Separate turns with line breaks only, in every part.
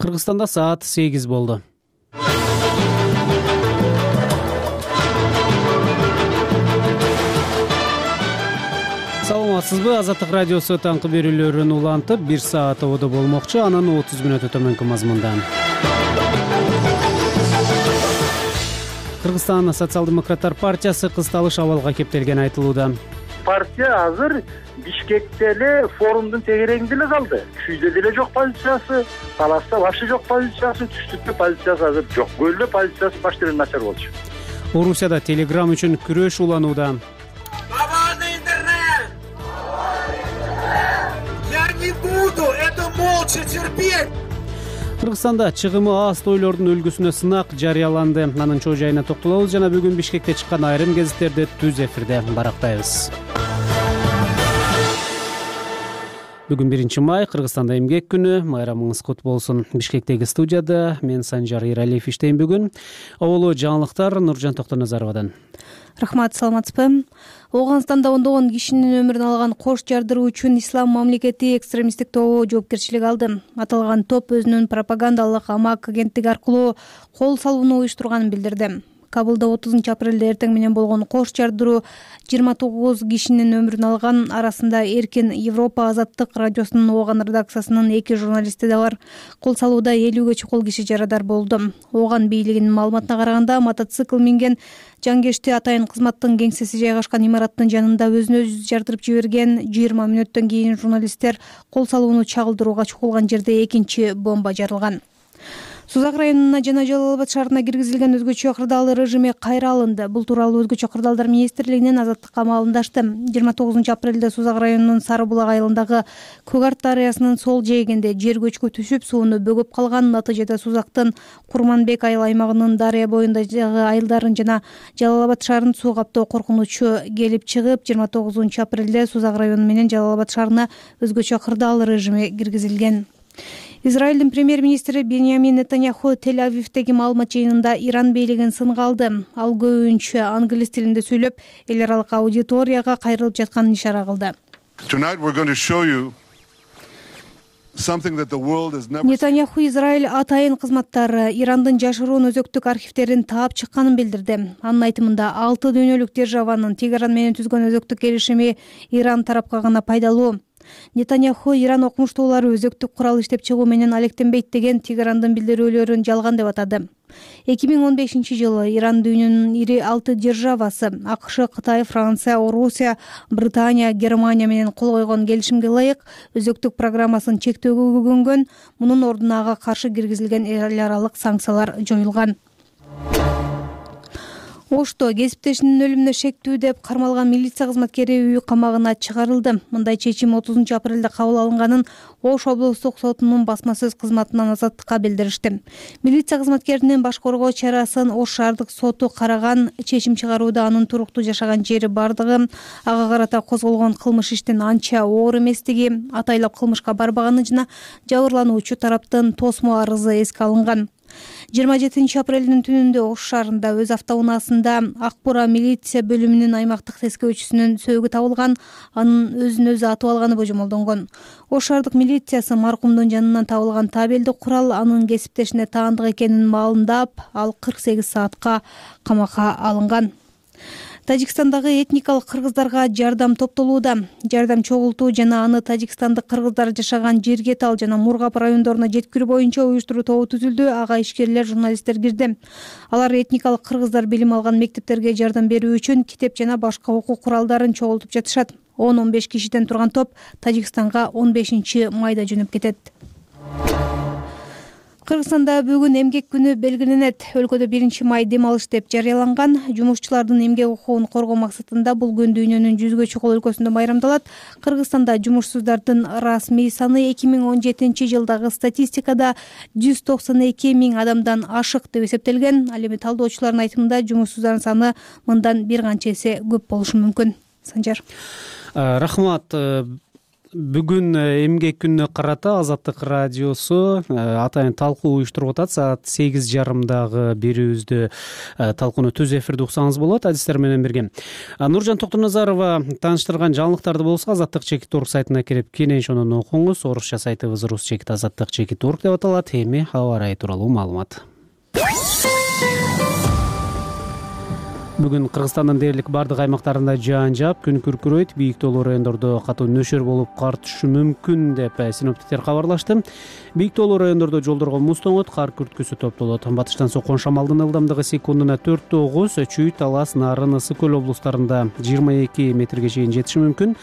Кыргызстанда саат 8 болду. Саламатсызбы? Азаттык радиосу таңкы берүүлөрүн улантып, 1 саат ободо болмокчу. Анан 30 мүнөт өтөмөнкү мазмунда. Кыргызстан социал-демократтар партиясы кысталыш абалга кептелгени айтылууда.
Партия азыр Бишкекте эле форумдун тегерегинде эле калды. Күйдө деле жок позициясы, Таласта вообще жок позициясы, түштүктө позициясы азыр жок. Көлдө позициясы баштырын начар болчу.
Орусияда Telegram үчүн күрөш уланууда.
Свободный интернет! Я не буду это молча терпеть!
Кыргызстанда чыгымы аз тойлордун үлгүсүнө сынак жарыяланды. Анын чоо жайына токтолобуз жана бүгүн Бишкекте чыккан айрым гезиттерди түз эфирде барактайбыз. Бүгүн 1 май, Кыргызстанда эмгек күнү. Майрамыңыз кут болсун. Бишкектеги студияда мен Санжар Иралиев иштейм бүгүн. Оболу жаңылыктар Нуржан Токтоназаровадан.
Рахмат, саламатсызбы? Ооганстанда ондогон кишинин өмүрүн алган кош жардыруу үчүн Ислам мамлекети экстремисттик тобу жоопкерчилик алды. Аталган топ өзүнүн пропагандалык амак агенттиги аркылуу кол салууну уюштурганын билдирди. Кабылда 30-апрелде эртең менен болгон кош жардыруу 29 кишинин өмүрүн алган. Арасында Эркин Европа азаттык радиосунун Ооган редакциясынын 2 журналисти да бар. Кол салууда 50ге чукул киши жарадар болду. Ооган бийлигинин маалыматына караганда, мотоцикл минген жангешти атайын кызматтын кеңсеси жайгашкан имараттын жанында өзүн-өзү жардырып жиберген. 20 мүнөттөн кийин журналисттер кол салууну чагылдырууга чукулган жерде экинчи бомба жарылган. Сузак районуна жана Жалал Абад шаарына киргизилген өзгөчө кырдаал режими кайра алынды. Бул тууралуу өзгөчө кырдаалдар министрлигинин азаттыкка маалымдашты. 29-апрелде Сузак районунун Сары булак айылындагы Көк Арт дарыясынын сол жээгинде жер көчкү түшүп, сууну бөгөп калган. Натыйжада Сузактын Курманбек айыл аймагынын дарыя боюндагы айылдарын жана Жалал Абад шаарын суу каптоо коркунучу келип чыгып, 29-апрелде Сузак району менен Жалал Абад шаарына өзгөчө кырдаал режими киргизилген. Израилдин премьер-министри Беньямин Нетаньяху Тель-Авивдеги маалымат жыйынында Иран бийлигин сынга алды. Ал көбүнчө англис тилинде сүйлөп, эл аралык аудиторияга кайрылып жатканын ишара кылды. Нетаньяху Израиль атайын кызматтары Ирандын жашыруун өзөктүк архивтерин таап чыкканын билдирди. Анын айтымында 6 дүйнөлүк державанын Тегеран менен түзгөн өзөктүк келишими Иран тарапка гана пайдалуу. Нетаньяху Иран окумуштуулары өзөктүк курал иштеп чыгуу менен алектенбейт деген Тегерандын билдирүүлөрүн жалган деп атады. 2015-жылы Иран дүйнөнүн ири 6 державасы АКШ, Кытай, Франция, Орусия, Британия, Германия менен кол койгон келишимге ылайык өзөктүк программасын чектөөгө көгөнгөн. Мунун ордуна ага каршы киргизилген эл аралык санкциялар жоюлган. Ошто кесиптешинин өлүмүнө шектүү деп кармалган милиция кызматкери үй камагына чыгарылды. Мындай чечим 30-апрелде кабыл алынганын Ош облустук сотунун басма сөз кызматынан азаттыкка билдиришти. Милиция кызматкеринин баш коргоо чарасын Ош шаардык соту караган. Чечим чыгарууда анын туруктуу жашаган жери бардыгы, ага карата козголгон кылмыш иштин анча оор эместиги, атайлап кылмышка барбаганы жана жабырлануучу тараптын тосмо арызы эске алынган. 27-апрелдин түнүндө Ош шаарында өз автоунаасында Акбура милиция бөлүмүнүн аймактык тескөөчүсүнүн сөөгү табылган. Анын өзүн-өзү атып алганы божомолдонгон. Ош шаардык милициясы маркумдун жанынан табылган табелдик курал анын кесиптешине таандык экенин маалымдап, ал 48 саатка камакка алынган. Тажикстандагы этникалык кыргыздарга жардам топтолууда. Жардам чогултуу жана аны тажикстандык кыргыздар жашаган Жергетал жана Мургап райондоруна жеткирүү боюнча уюштуруу тобу түзүлдү. Ага ишкерлер, журналисттер кирди. Алар этникалык кыргыздар билим алган мектептерге жардам берүү үчүн китеп жана башка окуу куралдарын чогултуп жатышат. 10-15 кишиден турган топ Тажикстанга 15 майда жөнөп кетет. Кыргызстанда бүгүн эмгек күнү белгиленет. Өлкөдө 1 май дем алыш деп жарыяланган. Жумушчулардын эмгек укугун коргоо максатында бул күн дүйнөнүн 100ге чукул өлкөсүндө майрамдалат. Кыргызстанда жумушсуздардын расмий саны 2017-жылдагы статистикада 192 000 адамдан ашык деп эсептелген. Ал эми талдоочулардын айтымында жумушсуздардын саны мындан бир канча эсе көп болушу мүмкүн. Санжар.
Рахмат. Бүгүн эмгек күнүнө карата Азаттык радиосу атайын талкуу уюштуруп атат. Саат 8:30 берүүбүздө талкууну түз эфирде уксаңыз болот. Адистер менен бирге Нуржан Токтоназарова тааныштырган жаңылыктарды болсо Азаттык /org сайтына кирип кенен ошону окуңуз. Орусча сайтыбыз rus/azаттык/org деп аталат. Эми аба ырайы тууралуу маалымат. Бүгүн Кыргызстандын дээрлик бардык аймактарында жаан жаап, күн күркүрөйт, бийик тоолуу райондордо катуу нөшөр болуп кар түшүшү мүмкүн деп синоптиктер кабарлашты. Бийик тоолуу райондордо жолдорго муз тоңот, кар күрткүсү топтолот. Батыштан соккон шамалдын ылдамдыгы секундуна 4-9, Чүй, Талас, Нарын, Ысык көл облустарында 22 метрге чейин жетиши мүмкүн.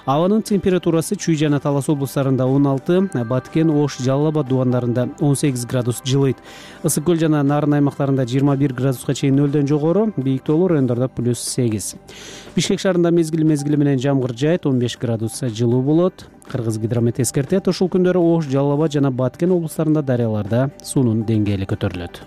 Абанын температурасы Чүй жана Талас облустарында 16, Баткен, Ош, Жалал Абад дубандарында 18 градус жылыйт. Ысык көл жана Нарын аймактарында 21 градуска чейин нөлдөн жогору, бийик тоолуу райондордо +8. Бишкек шаарында мезгили менен жамгыр жаайт, 15 градус жылуу болот. Кыргыз гидромет эскертет, ушул күндөрү Ош, Жалал Абад жана Баткен облустарында дарыяларда суунун деңгээли көтөрүлөт.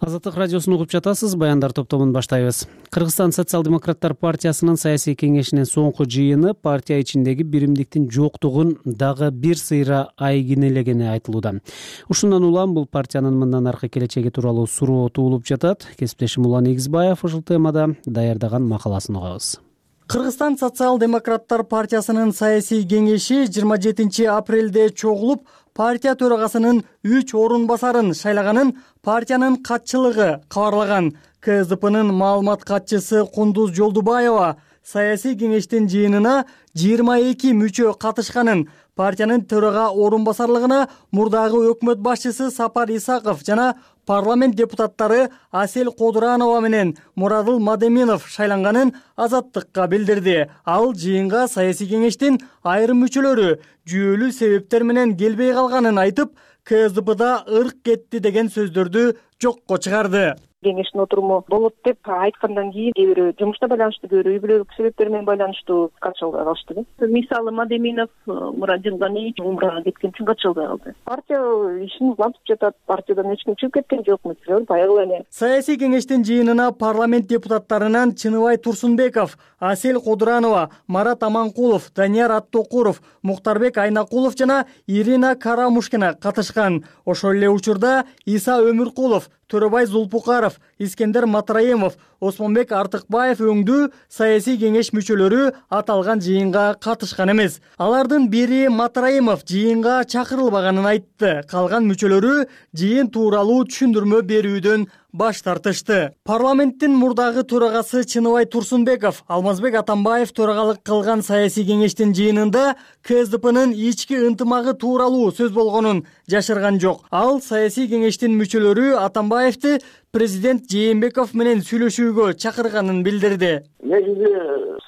Азаттык радиосун угуп жатасыз. Баяндар топтомун баштайбыз. Кыргызстан социал-демократтар партиясынын саясий кеңешинин соңку жыйыны партия ичиндеги биримдиктин жоктугун дагы бир сыйра айгинелегени айтылууда. Ушундан улам бул партиянын мындан аркы келечеги тууралуу суроо туулуп жатат. Кесиптешим Улан Эгизбаев ушул темада даярдаган макаласын угабыз.
Кыргызстан социал-демократтар партиясынын саясий кеңеши 27 апрелде чогулуп, партия төрагасынын 3 орун басарын шайлаганын партиянын катчылыгы кабарлаган. КСДПнын маалымат катчысы Кундуз Жолдубаева саясий кеңештин жыйынына 22 мүчө катышканын, партиянын төрага орун басарлыгына мурдагы өкмөт башчысы Сапар Исаков жана парламент депутаттары Асел Кодуранова менен Мурадыл Мадеминов шайланганын Азаттыкка билдирди. Ал жыйынга саясий кеңештин айрым мүчөлөрү жүйөлүү себептер менен келбей калганын айтып, КСДПда ырк кетти деген сөздөрдү жокко чыгарды.
Кеңештин отуруму болот деп айткандан кийин кээ бирөө жумушта байланыштуу, кээ бирөө үй бүлөлүк себептер менен байланыштуу катышалбай калышты. Мисалы Мадеминов Мурадил Ганиевич умрага кеткен үчүн катышалбай калды. Партия ишин улантып жатат, партиядан эч ким чыгып кеткен жок, мисалы баягы эле.
Саясий кеңештин жыйынына парламент депутаттарынан Чыныбай Турсунбеков, Асел Кодуранова, Марат Аманкулов, Данияр Аттокуров, Муктарбек Айнакулов жана Ирина Карамушкина катышкан. Ошол эле учурда Иса Өмүркулов, Төрөбай Зулпукаров, Искендер Матраимов, Осмонбек Артыкбаев өңдүү саясий кеңеш мүчөлөрү аталган жыйынга катышкан эмес. Алардын бири Матраимов жыйынга чакырылбаганын айтты. Калган мүчөлөрү жыйын тууралуу түшүндүрмө берүүдөн баш тартышты. Парламенттин мурдагы төрагасы Чыныбай Турсунбеков Алмазбек Атамбаев төрагалык кылган саясий кеңештин жыйынында КСДПнын ички ынтымагы тууралуу сөз болгонун жашырган жок. Ал саясий кеңештин мүчөлөрү Атамбаевди президент Жээнбеков менен сүйлөшүүгө чакырганын билдирди.
Негизи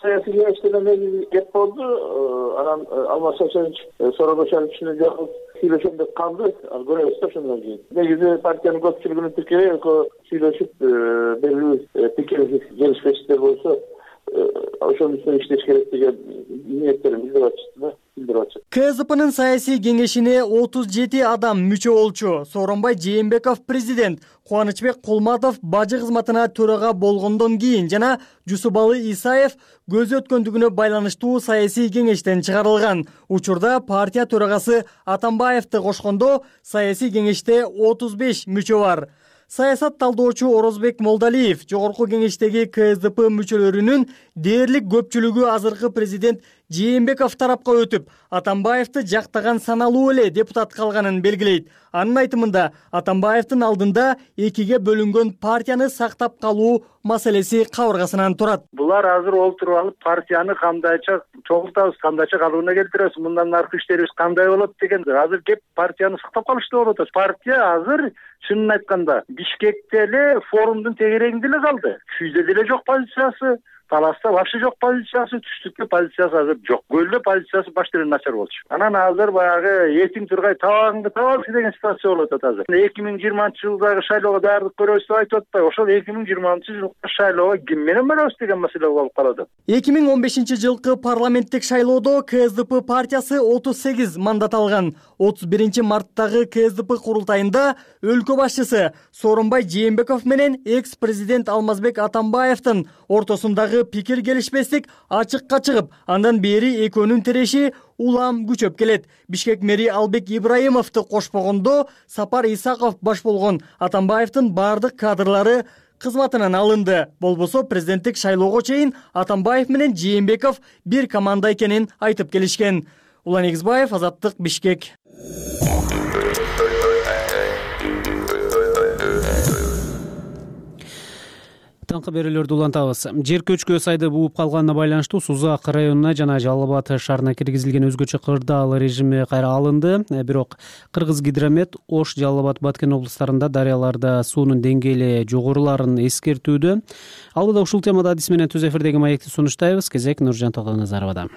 саясий кеңештен кеп болду. Анан Алмаз Шашевич Сорогошевичтин жагып сүйлөшөм деп калды. Көрөбүз да ошондон кийин. Негизи партиянын көпчүлүгүнүн пикири сүйлөшүп белгилүү пикир келишпештиктер болсо ошонун үстүнө иштеш керек деген ниеттерин билдирип атышты.
КСДПнын саясий кеңешине 37 адам мүчө болчу. Сооронбай Жээнбеков президент, Кубанычбек Кулматов бажы кызматына төрага болгондон кийин жана Жусубалы Исаев көзү өткөндүгүнө байланыштуу саясий кеңештен чыгарылган. Учурда партия төрагасы Атамбаевди кошкондо саясий кеңеште 35 мүчө бар. Саясат талдоочу Орозбек Молдалиев жогорку кеңештеги КСДП мүчөлөрүнүн дээрлик көпчүлүгү азыркы президент Жээнбеков тарапка өтүп, Атамбаевди жактаган саналуу эле депутат калганын белгилейт. Анын айтымында Атамбаевдин алдында экиге бөлүнгөн партияны сактап калуу маселеси кабыргасынан турат.
Булар азыр олтуруп алып партияны кандайча чоңуртабыз, кандайча калыбына келтиребиз, мындан аркы иштерибиз кандай болот деген. Азыр кеп партияны сактап калышты болуп атат. Партия азыр чынын айтканда Бишкекте эле форумдун тегерегинде эле калды. Чүйдө деле жок позициясы, Таласта вообще жок позициясы, түштүктө позициясы азыр жок. Көлдө позициясы баштырын начар болчу. Анан азыр баягы этиң тургай табагыңды табабыз деген ситуация болуп атат азыр. 2020-жылдагы шайлоого даярдык көрөбүз деп айтып атпайбы? Ошол 2020-жылкы шайлоого ким менен барабыз деген маселе болуп калат.
2015-жылкы парламенттик шайлоодо КСДП партиясы 38 мандат алган. 31-марттагы КСДП курултайында өлкө башчысы Сооронбай Жээнбеков менен экс-президент Алмазбек Атамбаевдин ортосундагы арасындагы пикир келишпестик ачыкка чыгып, андан бери экөөнүн тиреши улам күчөп келет. Бишкек мэри Албек Ибраимовду кошпогондо Сапар Исаков баш болгон Атамбаевдин бардык кадрлары кызматынан алынды. Болбосо президенттик шайлоого чейин Атамбаев менен Жээнбеков бир команда экенин айтып келишкен. Улан Эгизбаев, Азаттык, Бишкек.
Таңкы берүүлөрдү улантабыз. Жер көчкү сайды бууп калганына байланыштуу Сузак районуна жана Жалал Абад шаарына киргизилген өзгөчө кырдаал режими кайра алынды. Бирок Кыргызгидромет Ош, Жалал Абад, Баткен облустарында дарыяларда суунун деңгээли жогоруларын эскертүүдө. Алдыда ушул темада адис менен түз эфирдеги маекти сунуштайбыз. Кезек Нуржан Тогдоназаровада.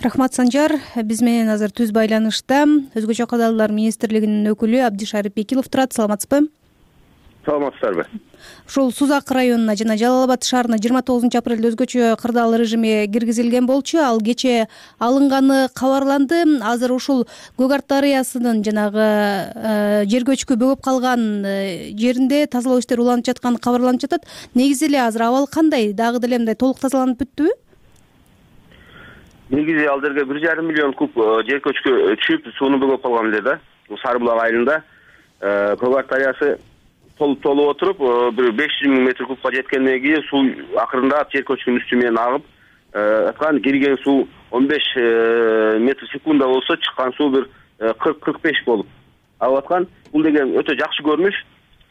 Рахмат, Санжар. Биз менен азыр түз байланышта өзгөчө кырдаалдар министрлигинин өкүлү Абдишарип Бекилов турат. Саламатсызбы?
Саламатсыздарбы.
Ушул Сузак районуна жана Жалал Абад шаарына 29 апрелде өзгөчө кырдаал режими киргизилген болчу. Ал кечээ алынганы кабарланды. Азыр ушул Көк Арт дарыясынын жанагы жер көчкү бөгөп калган жеринде тазалоо иштери уланып жатканы кабарланып жатат. Негизи эле азыр абал кандай? Дагы деле мындай толук тазаланып бүттүбү?
Негизи ал жерге 1,5 миллион куб жер көчкү түшүп, сууну бөгөп калган эле да. Сары булак айылында Көк Арт дарыясы толуп отуруп, бир 500 миң метр кубка жеткенден кийин суу акырындап жер көчкүнүн үстү менен агып, аткан кирген суу 15 метр секунда болсо, чыккан суу бир 40-45 болуп агып аткан. Бул деген өтө жакшы көрүнүш.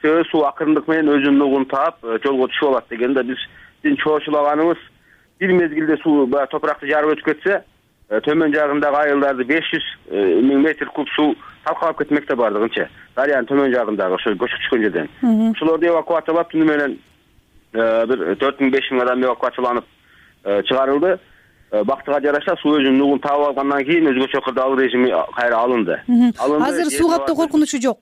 Себеби суу акырындык менен өзүнүн нугун таап, жолго түшүп алат дегенде биздин чоочулаганыбыз бир мезгилде суу топуракты жарып өтүп кетсе, төмөн жагындагы айылдарды 500 миң метр куб суу талкалап кетмекте бардыгынча. Дарыянын төмөн жагындагы ошо көчүп түшкөн жерден. Ошолорду эвакуациялап түнү менен бир 4-5 миң адам эвакуацияланып чыгарылды. Бактыга жараша суу өзүнүн нугун таап алгандан кийин өзгөчө кырдаал режими кайра алынды.
Азыр суу каптоо коркунучу жок.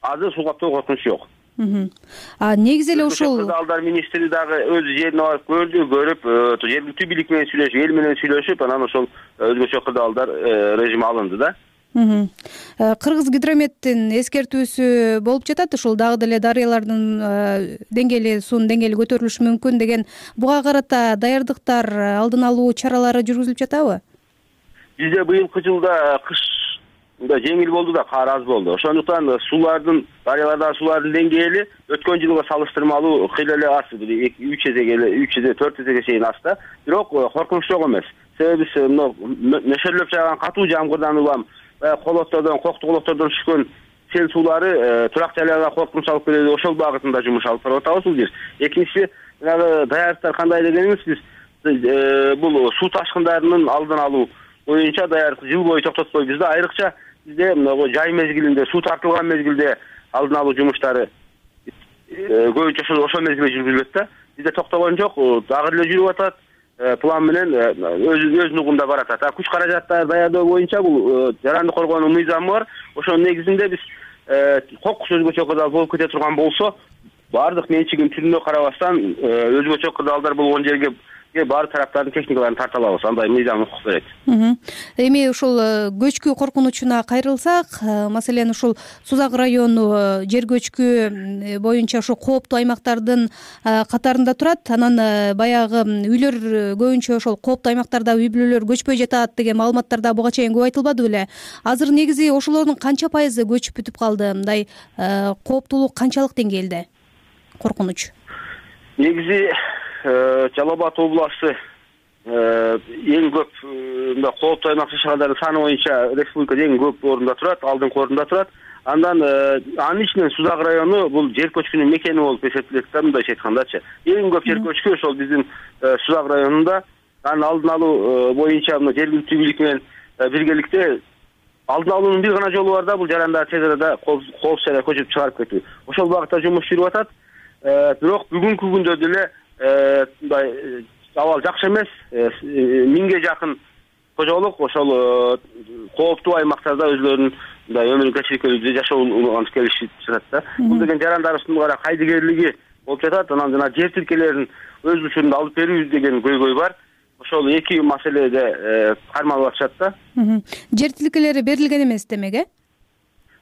Азыр суу каптоо коркунучу жок.
Негизи эле ушул
кырдаалдар министри дагы өз жерине барып көрүп, жергиликтүү бийлик менен сүйлөшүп, эл менен сүйлөшүп, анан ошол өзгөчө кырдаалдар режими алынды да.
Кыргызгидрометтин эскертүүсү болуп жатат, ушул дагы деле дарыялардын деңгээли, суунун деңгээли көтөрүлүшү мүмкүн деген. Буга карата даярдыктар, алдын алуу чаралары жүргүзүлүп жатабы?
Бизде быйылкы жылда кыш жеңил болду да, кар аз болду. Ошондуктан дарыялардагы суулардын деңгээли өткөн жылга салыштырмалуу кыйла эле аз, 3 эсе 4 эсеге чейин аз да. Бирок коркунуч жок эмес. Себеби биз нөшөрлөп жааган катуу жамгырдан улам, колоттордон, кокту колоттордон түшкөн сел суулары турак жайларга коркунуч алып келет. Ошол багытында жумуш алып барып атабыз бул жер. Экинчиси, даярдыктар кандай дегенибиз, биз бул суу ташкындарынын алдын алуу боюнча даярдык жыл бою токтотпойбуз да. Айрыкча бизде жай мезгилинде, суу тартылган мезгилде алдын алуу жумуштары көбүнчө ошол мезгилде жүргүзүлөт да. Бизде токтогон жок, дагы эле жүрүп атат. План менен өз нугунда баратат. Күч каражаттарды даярдоо боюнча бул жарандык коргоонун мыйзамы бар. Ошонун негизинде биз кокус өзгөчө кырдаал болуп кете турган болсо, бардык менчигин түрүнө карабастан өзгөчө кырдаалдар болгон жерге баары тараптардын техникаларын тарта алабыз. Андай мыйзам укук берет.
Эми ушул көчкү коркунучуна кайрылсак, маселен ушул Сузак району жер көчкү боюнча ушу кооптуу аймактардын катарында турат. Анан баягы үйлөр көбүнчө ошол кооптуу аймактарда үй бүлөлөр көчпөй жатат деген маалыматтар да буга чейин көп айтылбады беле? Азыр негизи ошолордун канча пайызы көчүп бүтүп калды? Мындай кооптуулук канчалык деңгээлде? Коркунуч.
Негизи Жалал Абад областы эң көп кооптуу аймак шаардардын саны боюнча республикада эң көп орунда турат, алдыңкы орунда турат. Андан анын ичинен Сузак району бул жер көчкүнүн мекени болуп эсептелет да, мындайча айткандачы. Эң көп жер көчкү ошол биздин Сузак районунда. Анын алдын алуу боюнча жергиликтүү бийлик менен биргеликте алдын алуунун бир гана жолу бар да, бул жарандар тез арада коопсуз жайга көчүп чыгарып кетүү. Ошол багытта жумуш жүрүп атат. Бирок бүгүнкү күндө деле мындай абал жакшы эмес. 1000ге жакын кожолук ошол кооптуу аймактарда өзлөрүнүн мындай өмүрүн кечирүүгө жашоонун келишип жатат да. Бул деген жарандарыбыздын кара кайдыгерлиги болуп жатат. Анан жана жер тилкелерин өз учурунда алып берүү деген көйгөй бар. Ошол эки маселеде кармалып атышат да.
Жер тилкелери берилген эмес демек,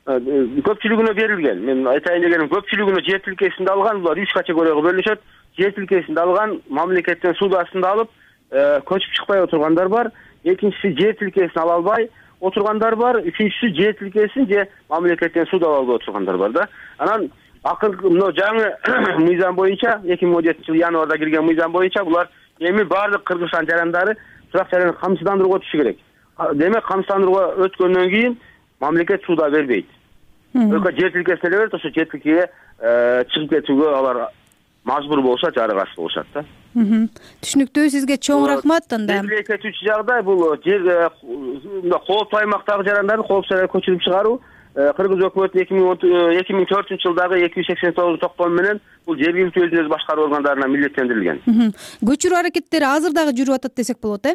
көпчүлүгүнө берилген. Мен айтайын дегеним, көпчүлүгүнө жер тилкесинде алган, булар 3 категорияга бөлүнүшөт. Жер тилкесинде алган, мамлекеттен суд астында алып, көчүп чыкпай отургандар бар. Экинчиси жер тилкесин ала албай отургандар бар. Үчүнчүсү жер тилкесин же мамлекеттен суд ала албай отургандар бар да. Анан акыркы мына жаңы мыйзам боюнча 2017-жылы январда кирген мыйзам боюнча булар эми баардык Кыргызстан жарандары турак жайларды камсыздандырууга түшү керек. Демек камсыздандырууга өткөндөн кийин мамлекет суда бербейт. Только жер тилкесине берет, ошо жер тилкеге чыгып кетүүгө алар мажбур болушат, жарыгасыз болушат да.
Түшүнүктүү, сизге чоң рахмат. Анда
белгилей кетүүчү жагдай бул жер кооптуу аймактагы жарандарды коопсуз жайга көчүрүп чыгаруу. Кыргыз өкмөтүнүн 2004-жылдагы 289-токтому менен бул жергиликтүү өзүн өзү башкаруу органдарына милдеттендирилген.
Көчүрүү аракеттери азыр дагы жүрүп атат десек болот,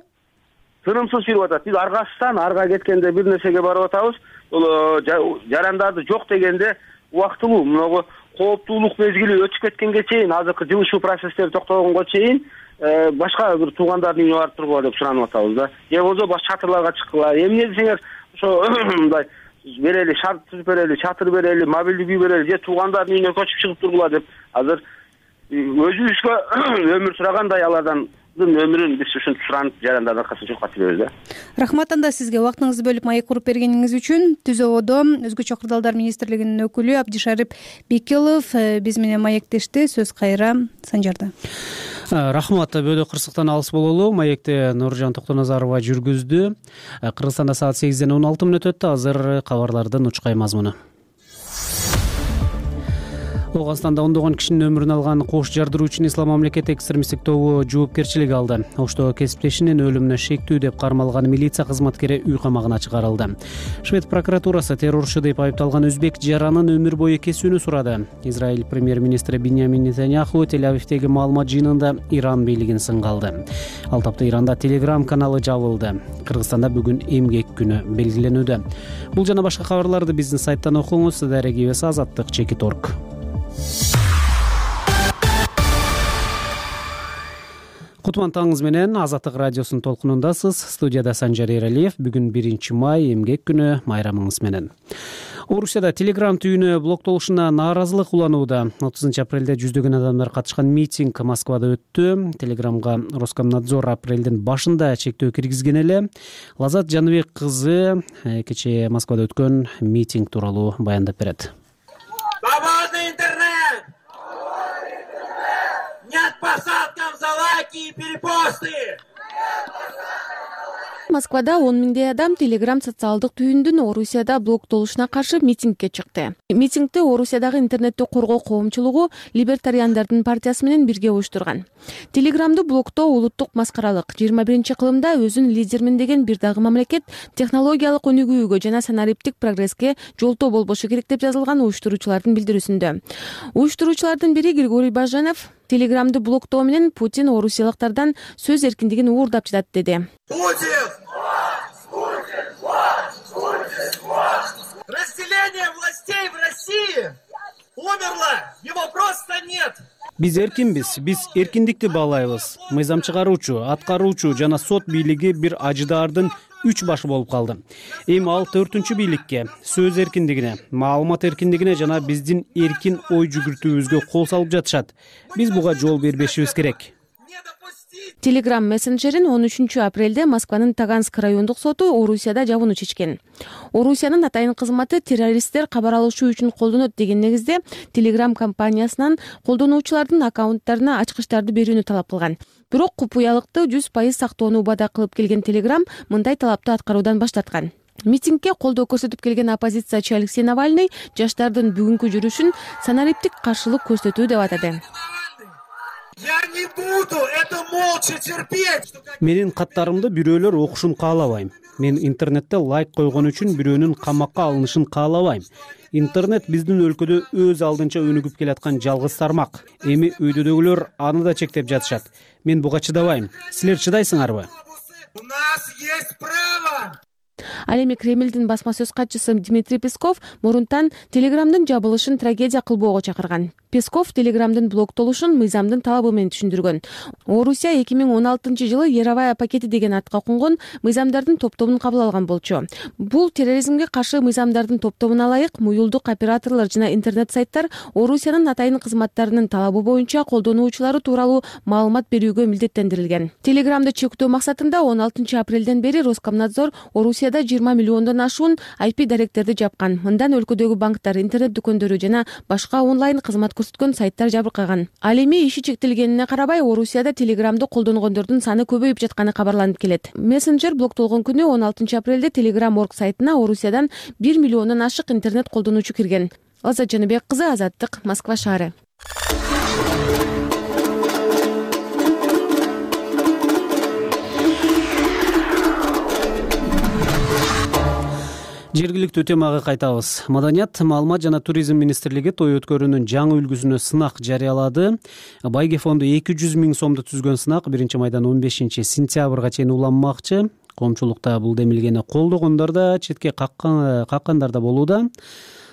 Тынымсыз жүрүп атат. Биз аргасыздан арга кеткенде бир нерсеге барып атабыз. Бул жарандарды жок дегенде убактылуу, мына кооптуулук мезгили өтүп кеткенге чейин, азыркы жылышуу процесстери токтогонго чейин башка бир туугандардын үйүнө барып тургула деп суранып атабыз да. Же болбосо баш чатырларга чыккыла. Эмне десеңер, ошо мындай берели, шарт түзүп берели, чатыр берели, мобилдик үй берели, же туугандардын үйүнө көчүп чыгып тургула деп азыр өзүбүзгө өмүр сурагандай алардан өмүрүн биз ушинтип суранып жарандар аркасында жокко чыгабыз да.
Рахмат анда сизге убактыңызды бөлүп маек куруп бергениңиз үчүн. Түз абодо Өзгөчө кырдаалдар министрлигинин өкүлү Абдишарип Бекилов биз менен маектешти. Сөз кайра Санжарда.
Рахмат. Бөлө кырсыктан алыс бололу. Маекти Нуржан Токтоназарова жүргүздү. Кыргызстанда саат 8:16 өттү. Азыр кабарлардын учкай мазмуну. Ооганстанда ондогон кишинин өмүрүн алган кош жардыруу үчүн Ислам мамлекети экстремисттик тобу жоопкерчилик алды. Ошто кесиптешинин өлүмүнө шектүү деп кармалган милиция кызматкери үй камагына чыгарылды. Швед прокуратурасы террорчу деп айыпталган өзбек жаранын өмүр бою кесүүнү сурады. Израиль премьер-министри Биньямин Нетаньяху Тель-Авивдеги маалымат жыйынында Иран бийлигин сынга алды. Ал тапта Иранда Telegram каналы жабылды. Кыргызстанда бүгүн эмгек күнү белгиленүүдө. Бул жана башка кабарларды биздин сайттан окуңуз. Дарегибес Азаттык.org. Кутман таңыңыз менен Азаттык радиосунун толкунундасыз. Студияда Санжар Эралиев. Бүгүн 1 май эмгек күнү, майрамыңыз менен. Орусияда Telegram түйүнү блоктолушуна нааразылык уланууда. 30 апрелде жүздөгөн адамдар катышкан митинг Москвада өттү. Telegramга Роскомнадзор апрелдин башында чектөө киргизген эле. Лазат Жаныбек кызы кечээ Москвада өткөн митинг тууралуу баяндап берет.
Свободный интернет! Нет посадкам за лайки и перепосты!
Москвада 10 миңдей адам Telegram социалдык түйүндүн Орусияда блоктолушуна каршы митингге чыкты. Митингди Орусиядагы интернетти коргоо коомчулугу Либертариандардын партиясы менен бирге уюштурган. Telegramды блоктоо улуттук маскаралык. 21-кылымда өзүн лидермин деген бир дагы мамлекет технологиялык өнүгүүгө жана санариптик прогресске жолтоо болбошу керек деп жазылган уюштуруучулардын билдирүүсүндө. Уюштуруучулардын бири Григорий Баженов Telegramды блоктоо менен Путин орусиялыктардан сөз эркиндигин уурдап жатат деди.
Разделение властей в России умерло, его просто нет.
Биз эркинбиз, биз эркиндикти баалайбыз. Мыйзам чыгаруучу, аткаруучу жана сот бийлиги бир ажыдаардын 3 башы болуп калды. Эми ал 4-чү бийликке, сөз эркиндигине, маалымат эркиндигине жана биздин эркин ой жүгүртүүбүзгө кол салып жатышат. Биз буга жол бербешибиз керек.
Telegram мессенджерин 13 апрелде Москванын Таганск райондук соту Орусияда жабууну чечкен. Орусиянын атайын кызматы террористтер кабар алышуу үчүн колдонот деген негизде Telegram компаниясынан колдонуучулардын аккаунттарына ачкычтарды берүүнү талап кылган. Бирок купуялыкты 100% сактоону убада кылып келген Telegram мындай талапты аткаруудан баш тарткан. Митингге колдоо көрсөтүп келген оппозициячы Алексей Навальный жаштардын бүгүнкү жүрүшүн санариптик каршылык көрсөтүү деп атады.
Я не буду это молча терпеть.
Менин каттарымды бирөөлөр окушун каалабайм. Мен интернетте лайк койгон үчүн бирөөнүн камакка алынышын каалабайм. Интернет биздин өлкөдө өз алдынча өнүгүп келаткан жалгыз тармак. Эми өйдөдөгүлөр аны да чектеп жатышат. Мен буга чыдабайм. Силер чыдайсыңарбы?
У нас есть право.
Ал эми Кремлдин басма сөз катчысы Дмитрий Песков мурунтан Телеграмдын жабылышын трагедия кылбоого чакырган. Песков Телеграмдын блоктолушун мыйзамдын талабы менен түшүндүргөн. Орусия 2016-жылы Яровая пакети деген атка конгон мыйзамдардын топтомун кабыл алган болчу. Бул терроризмге каршы мыйзамдардын топтомуна ылайык муюлдук операторлор жана интернет сайттар Орусиянын атайын кызматтарынын талабы боюнча колдонуучулары тууралуу маалымат берүүгө милдеттендирилген. Телеграмды чектөө максатында 16 апрелден бери Роскомнадзор Орусияда 20 миллиондон ашуун IP даректерди жапкан. Мындан өлкөдөгү банктар, интернет дүкөндөрү жана башка онлайн кызмат көрсөткөн сайттар жабыркаган. Ал эми иши чектелгенине карабай Орусияда Телеграмды колдонгондордун саны көбөйүп жатканы кабарланып келет. Мессенджер блоктолгон күнү 16 апрелде Telegram.org сайтына Орусиядан 1 миллиондон ашык интернет колдонуучу кирген. Азат Жаныбек кызы, Азаттык, Москва шаары.
Жергиликтүү темага кайтабыз. Маданият, маалымат жана туризм министрлиги той өткөрүүнүн жаңы үлгүсүнө сынак жарыялады. Байге фонду 200 000 сомду түзгөн сынак 1-майдан 15 сентябрга чейин уланмакчы. Коомчулукта бул демилгени колдогондор да, четке каккандар да болууда.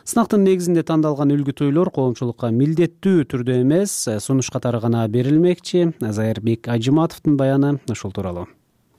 Сынактын негизинде тандалган үлгү тойлор коомчулукка милдеттүү түрдө эмес, сунуш катары гана берилмекчи. Зайырбек Ажыматовдун баяны ушул тууралуу.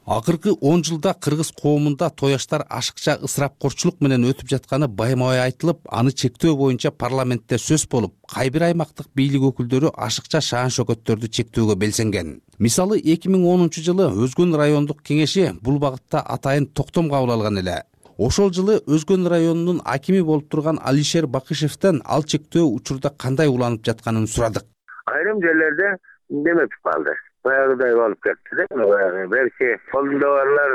Акыркы 10 жылда кыргыз коомунда тояштар ашыкча ысырапкорчулук менен өтүп жатканы байма-бай айтылып, аны чектөө боюнча парламентте сөз болуп, кай бир аймактык бийлик өкүлдөрү ашыкча шаан шөкөттөрдү чектөөгө белсенген. Мисалы 2010 жылы Өзгөн райондук кеңеши бул багытта атайын токтом кабыл алган эле. Ошол жылы Өзгөн районунун акими болуп турган Алишер Бакышевден ал чектөө учурда кандай уланып жатканын сурадык.
Айрым жерлерде демеп калды. Баягыдай болуп кетти да. Белки колунда барлар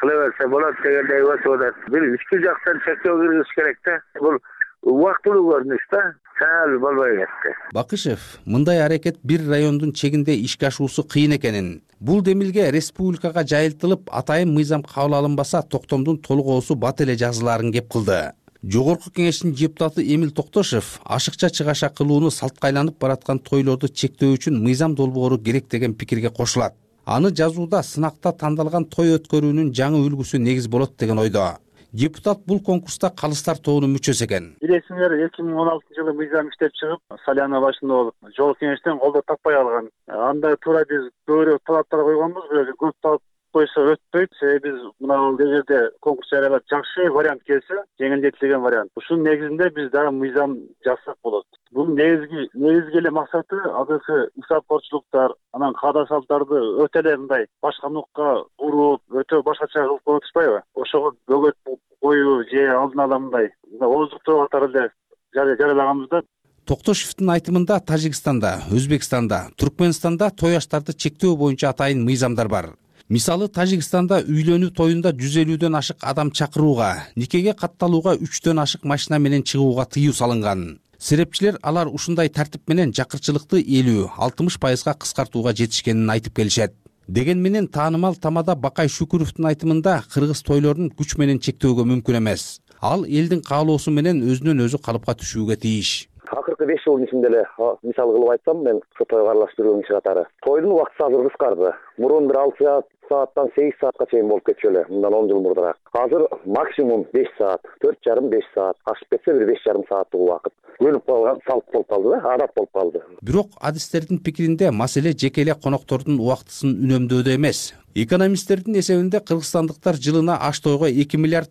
кыла берсе болот дегендей болуп. Бир ички жактан чектөө киргизиш керек да. Бул убактылуу көрүнүш да. Сал болбой кетти.
Бакышев мындай аракет бир райондун чегинде ишке ашуусу кыйын экенин, бул демилге республикага жайылтылып, атайын мыйзам кабыл алынбаса токтомдун толугоосу бат эле жазылаарын кеп кылды. Жогорку кеңештин депутаты Эмил Токтошев ашыкча чыгаша кылууну салтка айланып бараткан тойлорду чектөө үчүн мыйзам долбоору керек деген пикирге кошулат. Аны жазууда сынакта тандалган той өткөрүүнүн жаңы үлгүсү негиз болот деген ойдо. Депутат бул конкурста калыстар тобунун мүчөсү экен.
Билесиңер, 2016 жылы мыйзам иштеп чыгып, Саляна башында болуп, жогорку кеңештен колдоо таппай калган. Анда туура биз көбүрөөк талаптар койгонбуз, бирок көп талап койсо өтпөйт. Себеби биз мына бул жерде конкурс жарыялап жакшы вариант келсе, жеңилдетилген вариант. Ушунун негизинде биз дагы мыйзам жазсак болот. Бул негизги эле максаты азыркы ысырапкорчулуктар, анан каада салттарды өтө эле мындай башка нукка буруп, өтө башкача кылып коюп атышпайбы? Ошого бөгөт коюу же алдын ала мындай ооздуктоо катары эле жарыялаганбыз да.
Токтошевдин айтымында Тажикстанда, Өзбекстанда, Түркмөнстанда тояштарды чектөө боюнча атайын мыйзамдар бар. Мисалы Тажикстанда үйлөнүү тоюнда 150дөн ашык адам чакырууга, никеге катталууга 3дөн ашык машина менен чыгууга тыюу салынган. Серепчилер алар ушундай тартип менен жакырчылыкты 50-60% кыскартууга жетишкенин айтып келишет. Деген менен таанымал тамада Бакай Шүкүрөвдүн айтымында кыргыз тойлорун күч менен чектөөгө мүмкүн эмес. Ал элдин каалоосу менен өзүнөн өзү калыпка түшүүгө тийиш.
Акыркы 5 жылдын ичинде эле мисал кылып айтсам, мен ушу тойго аралашып жүргөн киши катары. Тойдун убакыты азыр кыскарды. Мурун бир 6 сааттан 8 саатка чейин болуп кетчү эле, мындан 10 жыл мурдараак. Азыр максимум 5 саат, 4,5-5 саат, ашып кетсе бир 5,5 сааттык убакыт. Көнүп калган салт болуп калды да, адат болуп калды.
Бирок адистердин пикиринде маселе жеке эле коноктордун убактысын үнөмдөөдө эмес. Экономисттердин эсебинде кыргызстандыктар жылына аш тойго $2 миллиард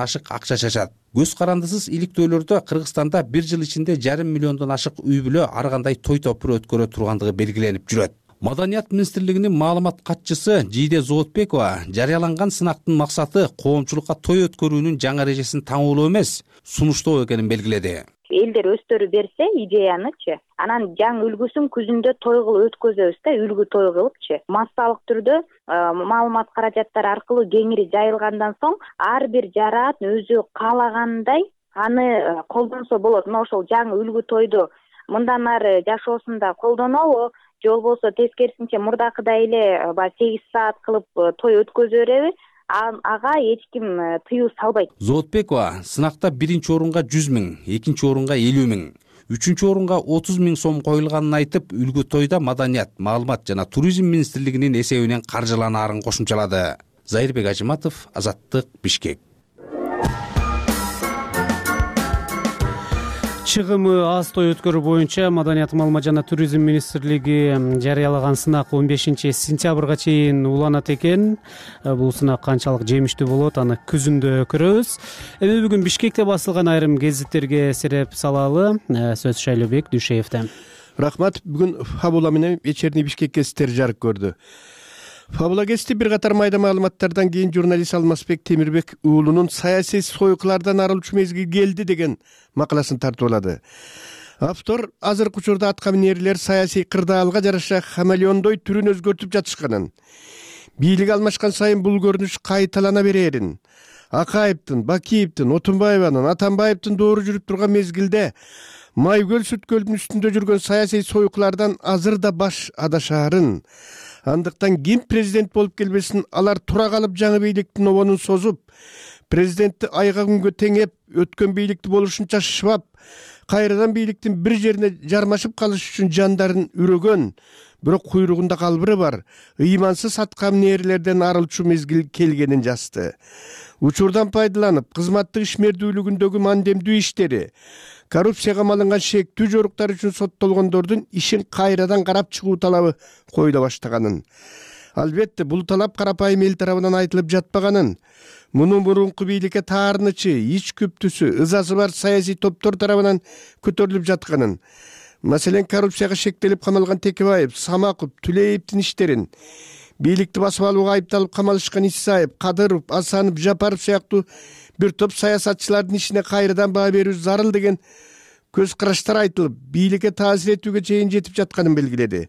ашык акча чачат. Көз карандысыз иликтөөлөрдө Кыргызстанда бир жыл ичинде 1,5 миллиондон ашык үй бүлө ар кандай той топур өткөрө тургандыгы белгиленип жүрөт. Маданият министрлигинин маалымат катчысы Жийде Зоотбекова жарыяланган сынактын максаты коомчулукка той өткөрүүнүн жаңы эрежесин таңуулоо эмес, сунуштоо экенин белгиледи.
Элдер өздөрү берсе идеянычы, анан жаңы үлгүсүн күзүндө той кылып өткөзөбүз да, үлгү той кылыпчы. Массалык түрдө маалымат каражаттары аркылуу кеңири жайылгандан соң ар бир жараат өзү каалагандай аны колдонсо болот. Мына ошол жаңы үлгү тойду мындан ары жашоосунда колдонобу, же болбосо тескерисинче мурдакыдай эле 8 саат кылып той өткөзө береби? Ага эч ким тыюу салбайт.
Зоотбекова сынакта биринчи орунга 100 000, экинчи орунга 50 000, үчүнчү орунга 30 000 сом коюлганын айтып, үлгү тойда Маданият, маалымат жана туризм министрлигинин эсебинен каржыланаарын кошумчалады. Зайырбек Ажыматов, Азаттык, Бишкек.
Чыгымы аз той өткөрүү боюнча Маданият, маалымат жана туризм министрлиги жарыялаган сынак 15 сентябрга чейин уланат экен. Бул сынак канчалык жемиштүү болот, аны күзүндө көрөбүз. Эми бүгүн Бишкекте басылган айрым гезиттерге сереп салалы. Сөз Шайлообек Дүйшеевде.
Рахмат. Бүгүн Фабула менен вечерний Бишкек гезиттери жарык көрдү. Фабула гезити бир катар майда маалыматтардан кийин журналист Алмазбек Темирбек уулунун саясий сойкулардан арылчу мезгил келди деген макаласын тартуулады. Автор азыркы учурда аткаминерлер саясий кырдаалга жараша хамелеондой түрүн өзгөртүп жатышканын, бийлик алмашкан сайын бул көрүнүш кайталана берерин, Акаевдин, Бакиевдин, Отунбаеванын, Атамбаевдин доору жүрүп турган мезгилде Майгөл Сүткөлдүн үстүндө жүргөн саясий сойкулардан азыр да баш адашаарын, андыктан ким президент болуп келбесин алар тура калып жаңы бийликтин обонун созуп, президентти айга күнгө теңеп, өткөн бийликти болушунча шыбап, кайрадан бийликтин бир жерине жармашып калыш үчүн жандарын үрөгөн, бирок куйругунда калбыры бар ыймансыз аткаминерлерден арылчу мезгил келгенин жазды. Учурдан пайдаланып, кызматтык ишмердүүлүгүндөгү мандемдүү иштери, коррупцияга малынган шектүү жоруктар үчүн соттолгондордун ишин кайрадан карап чыгуу талабы коюла баштаганын. Албетте, бул талап карапайым эл тарабынан айтылып жатпаганын, мунун мурунку бийликке таарынычы, ич күптүсү, ызасы бар саясий топтор тарабынан көтөрүлүп жатканын, маселен, коррупцияга шектелип камалган Текебаев, Самаков, Түлеевдин иштерин, бийликти басып алууга айыпталып камалышкан Исаев, Кадыров, Асанов, Жапаров сыяктуу бир топ саясатчылардын ишине кайрадан баа берүү зарыл деген көз караштар айтылып, бийликке таасир этүүгө чейин жетип жатканын белгиледи.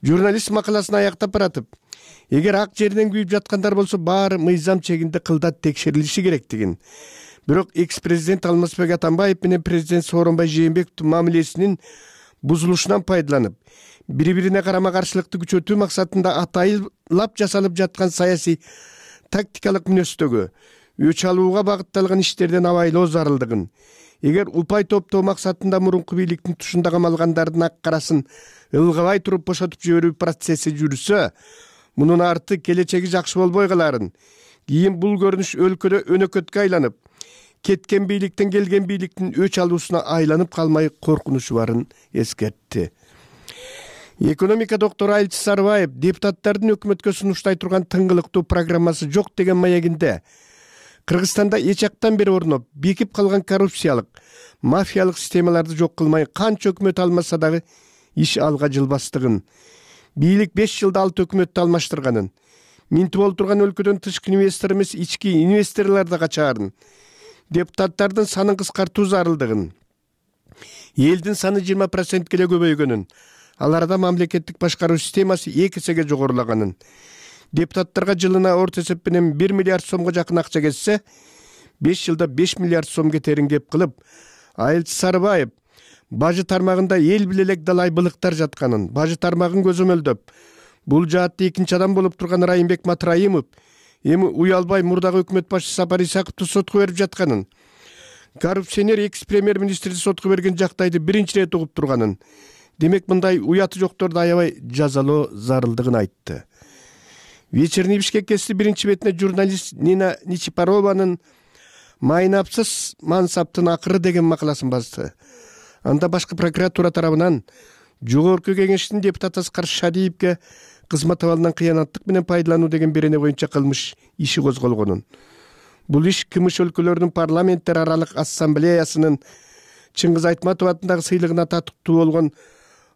Журналист макаласын аяктап баратып, эгер ак жерден күйүп жаткандар болсо, баары мыйзам чегинде кылдат текшерилиши керектигин, бирок экс-президент Алмазбек Атамбаев менен президент Сооронбай Жээнбековдун мамилесинин бузулушунан пайдаланып, бири-бирине карама-каршылыкты күчөтүү максатында атайылап жасалып жаткан саясий тактикалык мүнөздөгү өч алууга багытталган иштерден абайлоо зарылдыгын, эгер упай топтоо максатында мурунку бийликтин тушунда камалгандардын ак карасын ылгабай туруп бошотуп жиберүү процесси жүрсө, мунун арты келечеги жакшы болбой каларын, кийин бул көрүнүш өлкөдө өнөкөткө айланып, кеткен бийликтен келген бийликтин өч алуусуна айланып калмай коркунучу барын эскертти. Экономика доктору Айлчы Сарыбаев депутаттардын өкмөткө сунуштай турган тыңгылыктуу программасы жок деген маегинде Кыргызстанда эч жактан бери орноп, бекип калган коррупциялык, мафиялык системаларды жок кылмай канча өкмөт алмаса дагы иш алга жылбастыгын, бийлик 5 жылда 6 өкмөттү алмаштырганын, минтип олтурган өлкөдөн тышкы инвестор эмес ички инвесторлор да качаарын, депутаттардын санын кыскартуу зарылдыгын, элдин саны 20% эле көбөйгөнүн, аларда мамлекеттик башкаруу системасы 2 эсеге жогорулаганын, депутаттарга жылына орто эсеп менен 1 миллиард сомго жакын акча кетсе, 5 жылда 5 миллиард сом кетерин кеп кылып, Айлчы Сарыбаев бажы тармагында эл биле элек далай былыктар жатканын, бажы тармагын көзөмөлдөп, бул жаатта экинчи адам болуп турган Райымбек Матраимов эми уялбай мурдагы өкмөт башчысы Сапар Исаковду сотко берип жатканын, коррупционер экс-премьер-министрди сотко берген жактайды биринчи ирет угуп турганын, демек мындай уяты жокторду аябай жазалоо зарылдыгын айтты. Вечерний Бишкек гезити биринчи бетине журналист Нина Ничипарованын «Майнапсыз мансаптын акыры» деген макаласын басты. Анда башкы прокуратура тарабынан жогорку кеңештин депутаты Аскар Шадиевге кызмат абалынан кыянаттык менен пайдалануу деген берене боюнча кылмыш иши козголгонун. Бул иш кымыш өлкөлөрүнүн парламенттер аралык ассамблеясынын Чыңгыз Айтматов атындагы сыйлыгына татыктуу болгон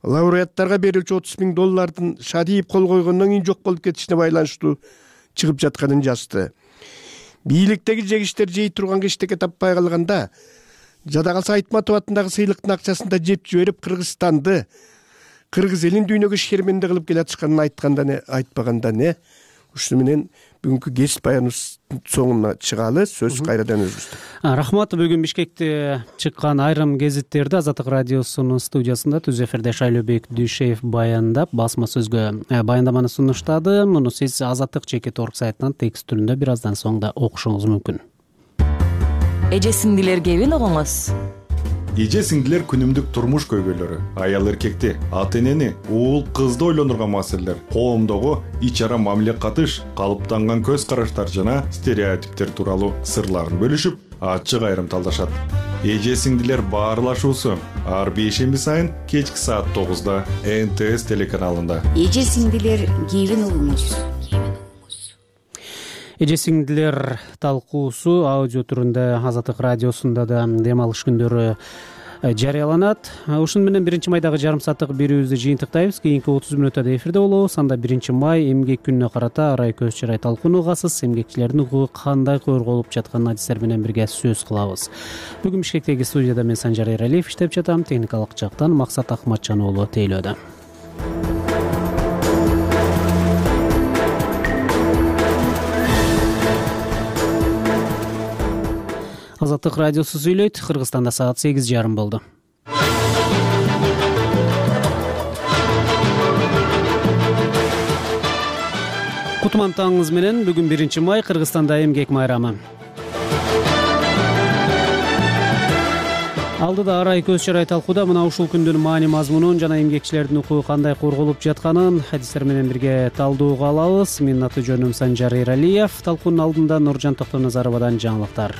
лауреаттарга берилчү $30,000 Шадиев кол койгондон кийин жок болуп кетишине байланыштуу чыгып жатканын жазды. Бийликтеги жегиштер жей турганга эчтеке таппай калганда, жада калса Айтматов атындагы сыйлыктын акчасын да жеп жиберип Кыргызстанды, кыргыз элин дүйнөгө шерменде кылып келатышканын айтканда не, айтпаганда не. Ушуну менен бүгүнкү гезит баяныбыздын соңуна чыгалы. Сөз кайрадан өзүбүздө.
Рахмат. Бүгүн Бишкекте чыккан айрым гезиттерди Азаттык радиосунун студиясында түз эфирде Шайлообек Дүйшеев баяндап, басма сөзгө баяндаманы сунуштады. Муну сиз Азаттык /org сайтынан текст түрүндө бир аздан соң да окушуңуз мүмкүн.
Эже сиңдилер кебин угуңуз.
Эже сиңдилер күнүмдүк турмуш көйгөйлөрү, аял эркекти, ата энени, уул кызды ойлондурган маселелер, коомдогу ич ара мамиле катыш, калыптанган көз караштар жана стереотиптер тууралуу сырларын бөлүшүп, ачык айрым талдашат. эже сиңдилер баарлашуусу ар бейшемби сайын кечки саат 9:00 НТС телеканалында.
Эже сиңдилер кийин угуңуз.
Эже сиңдилер талкуусу аудио түрүндө Азаттык радиосунда да дем алыш күндөрү жарыяланат. Ушуну менен 1 майдагы жарым сааттык берүүбүздү жыйынтыктайбыз. Кийинки 30 мүнөттө эфирде болобуз. Анда 1 май эмгек күнүнө карата арай көз чарай талкууну угасыз. Эмгекчилердин укугу кандай корголуп жатканын адистер менен бирге сөз кылабыз. Бүгүн Бишкектеги студияда мен Санжар Эралиев иштеп жатам. Техникалык жактан Максат Акматжан уулу тейлөөдө. Азаттык радиосу сүйлөйт. Кыргызстанда саат 8:30 болду. Кутман таңыңыз менен. Бүгүн 1 май, Кыргызстанда эмгек майрамы. Алдыда арай көз чарай талкууда мына ушул күндүн маани мазмунун жана эмгекчилердин укугу кандай корголуп жатканын адистер менен бирге талдоого алабыз. Менин аты жөнүм Санжар Эралиев. Талкуунун алдында Нуржан Токтоназаровадан жаңылыктар.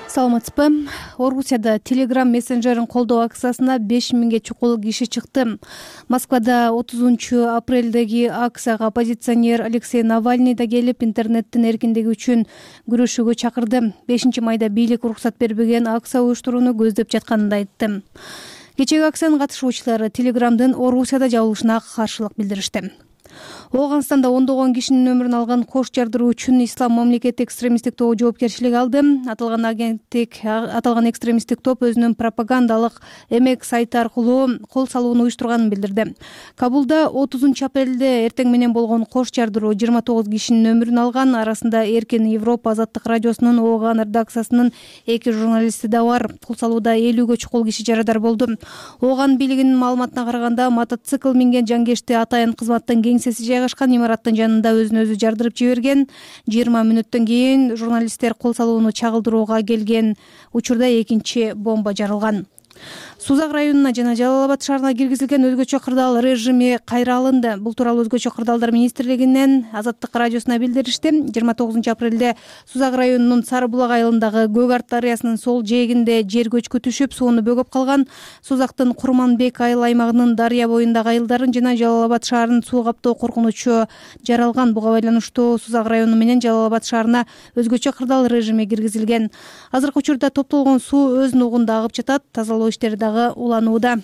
Саламатсызбы? Орусияда Telegram мессенджерин колдоо акциясына 5000ге чукул киши чыкты. Москвада 30 апрелдеги акцияга оппозиционер Алексей Навальный да келип, интернеттин эркиндиги үчүн күрөшүүгө чакырды. 5 майда бийлик уруксат бербеген акция уюштурууну көздөп жатканын да айтты. Кечеги акциянын катышуучулары Telegramдын Орусияда жабылышына каршылык билдиришти. Ооганстанда ондогон кишинин өмүрүн алган кош жардыруу үчүн Ислам мамлекети экстремисттик тобу жоопкерчилик алды. Аталган экстремисттик топ өзүнүн пропагандалык эмек сайты аркылуу кол салууну уюштурганын билдирди. Кабулда 30 апрелде эртең менен болгон кош жардыруу 29 кишинин өмүрүн алган. Арасында Эркин Европа Азаттык радиосунун Ооган редакциясынын 2 журналисти да бар. Кол салууда 50ге чукул киши жарадар болду. Ооган бийлигинин маалыматына караганда, мотоцикл минген жангешти атайын кызматтын кеңсеси жайгашкан имараттын жанында өзүн өзү жардырып жиберген. 20 мүнөттөн кийин журналисттер кол салууну чагылдырууга келген учурда экинчи бомба жарылган. Сузак районуна жана Жалал Абад шаарына киргизилген өзгөчө кырдаал режими кайра алынды. Бул тууралуу өзгөчө кырдаалдар министрлигинен Азаттык радиосуна билдиришти. 29 апрелде Сузак районунун Сары булак айылындагы Көк Арт дарыясынын сол жээгинде жер көчкү түшүп, сууну бөгөп калган. Сузактын Курманбек айыл аймагынын дарыя боюндагы айылдарын жана Жалал Абад шаарынын суу каптоо коркунучу жаралган. Буга байланыштуу Сузак району менен Жалал Абад шаарына өзгөчө кырдаал режими киргизилген. Азыркы учурда топтолгон суу өз нугунда агып жатат. Тазалоо иштери дагы уланууда.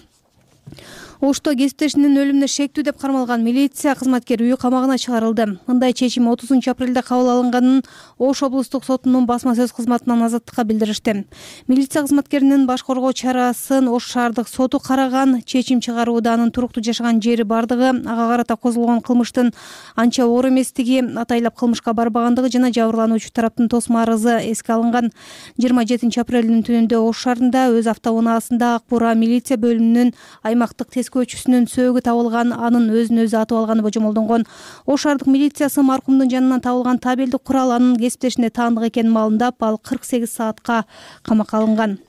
Ошто кесиптешинин өлүмүнө шектүү деп кармалган милиция кызматкери үй камагына чыгарылды. Мындай чечим 30 апрелде кабыл алынганын Ош облустук сотунун басма сөз кызматынан Азаттыкка билдиришти. Милиция кызматкеринин баш коргоо чарасын Ош шаардык соту караган. Чечим чыгарууда анын туруктуу жашаган жери бардыгы, ага карата козголгон кылмыштын анча оор эместиги, атайлап кылмышка барбагандыгы жана жабырлануучу тараптын тосмо арызы эске алынган. 27 апрелдин түнүндө Ош шаарында өз автоунаасында Ак Бура милиция бөлүмүнүн аймактык көчүсүнүн сөөгү табылган, анын өзүн өзү атып алганы божомолдонгон. Ош шаардык милициясы маркумдун жанынан табылган табелдик курал анын кесиптешине таандык экенин маалымдап, ал 48 саатка камакка алынган.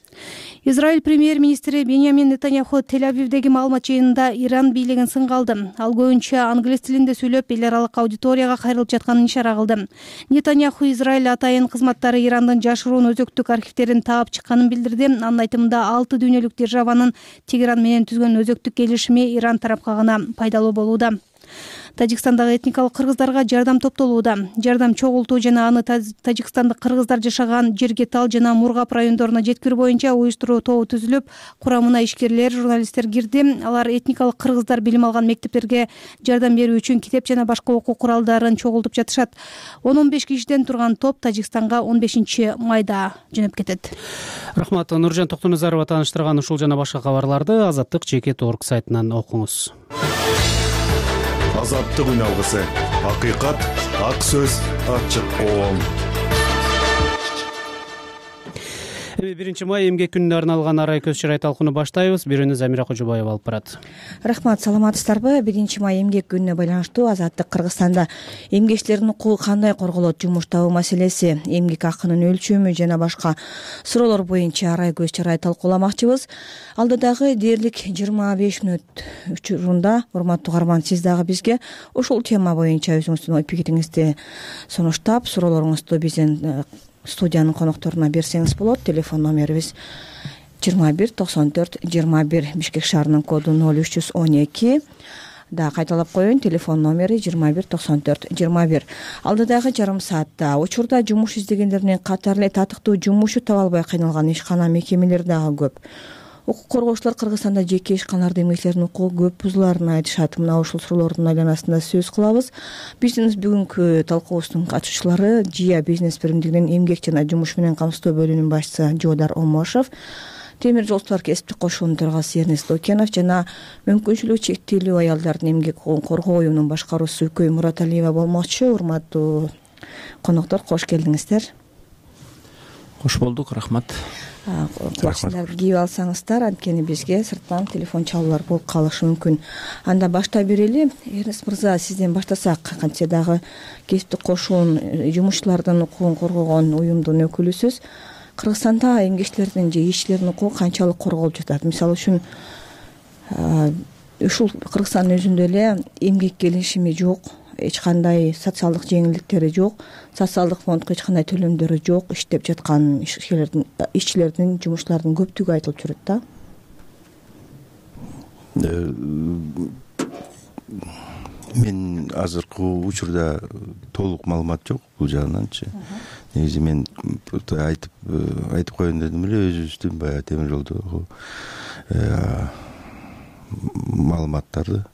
Израиль премьер-министри Беньямин Нетаньяху Тель-Авивдеги маалымат жыйынында Иран бийлигин сынга алды. Ал көбүнчө англис тилинде сүйлөп, эл аралык аудиторияга кайрылып жатканын ишара кылды. Нетаньяху Израиль атайын кызматтары Ирандын жашыруун өзөктүк архивтерин таап чыкканын билдирди. Анын айтымында 6 дүйнөлүк державанын Тегеран менен түзгөн өзөктүк келишими Иран тарапка гана пайдалуу болууда. Тажикстандагы этникалык кыргыздарга жардам топтолууда. Жардам чогултуу жана аны тажикстандык кыргыздар жашаган Жергетал жана Мургап райондоруна жеткирүү боюнча уюштуруу тобу түзүлүп, курамына ишкерлер, журналисттер кирди. Алар этникалык кыргыздар билим алган мектептерге жардам берүү үчүн китеп жана башка окуу куралдарын чогултуп жатышат. 10-15 кишиден турган топ Тажикстанга 15 майда жөнөп кетет.
Рахмат. Нуржан Токтоназарова тааныштырган ушул жана башка кабарларды Азаттык.org сайтынан окуңуз.
Азаттык үн алгысы. Акыйкат, ак сөз, ачык коом.
1 май эмгек күнүнө арналган арай көз чарай талкууну баштайбыз. Бирөөнү Замира Кожобаева алып барат.
Рахмат, саламатсыздарбы? 1 май эмгек күнүнө байланыштуу Азаттык Кыргызстанда эмгекчилердин укугу кандай корголот, жумуш табуу маселеси, эмгек акынын өлчөмү жана башка суроолор боюнча арай көз чарай талкууламакчыбыз. Алдыдагы дээрлик 25 мүнөт учурунда, урматтуу угарман, сиз дагы бизге ушул тема боюнча өзүңүздүн ой пикириңизди сунуштап, суроолоруңузду бизден студиянын конокторуна берсеңиз болот. Телефон номерибиз 219421, Бишкек шаарынын коду 0312. Да кайталап коеюн, телефон номери 219421. Алдыдагы жарым саатта учурда жумуш издегендердин катары эле татыктуу жумушу таба албай кыйналган ишкана мекемелери дагы көп. Укук коргоочулар Кыргызстанда жеке ишканалардын эмгекчилеринин укугу көп бузулаарын айтышат. Мына ушул суроолордун айланасында сөз кылабыз. Биздин бүгүнкү талкуубуздун катышуучулары ЖИА бизнес биримдигинин эмгек жана жумуш менен камсыздоо бөлүмүнүн башчысы Жоодар Омошов, Темир жол сулар кесиптик кошуунун төрагасы Эрнест Лукенов жана мүмкүнчүлүгү чектелүү аялдардын эмгек укугун коргоо уюмунун башкаруучусу Үкөй Мураталиева болмокчу. Урматтуу коноктор, кош келдиңиздер.
Кош болдук, рахмат.
Плащтарды кийип алсаңыздар, анткени бизге сырттан телефон чалуулар болуп калышы мүмкүн. Анда баштай берели. Эрнест мырза, сизден баштасак, кантсе дагы кесиптик кошуун жумушчулардын укугун коргогон уюмдун өкүлүсүз. Кыргызстанда эмгекчилердин же ишчилердин укугу канчалык корголуп жатат? Мисалы үчүн ушул Кыргызстандын өзүндө эле эмгек келишими жок, эч кандай социалдык жеңилдиктери жок, социалдык фондко эч кандай төлөмдөрү жок, иштеп жаткан ишчилердин, жумушчулардын көптүгү айтылып жүрөт да.
Мен азыркы учурда толук маалымат жок бул жагынанчы. Негизи мен айтып коеюн дедим эле, өзүбүздүн баягы темир жолдогу маалыматтарды.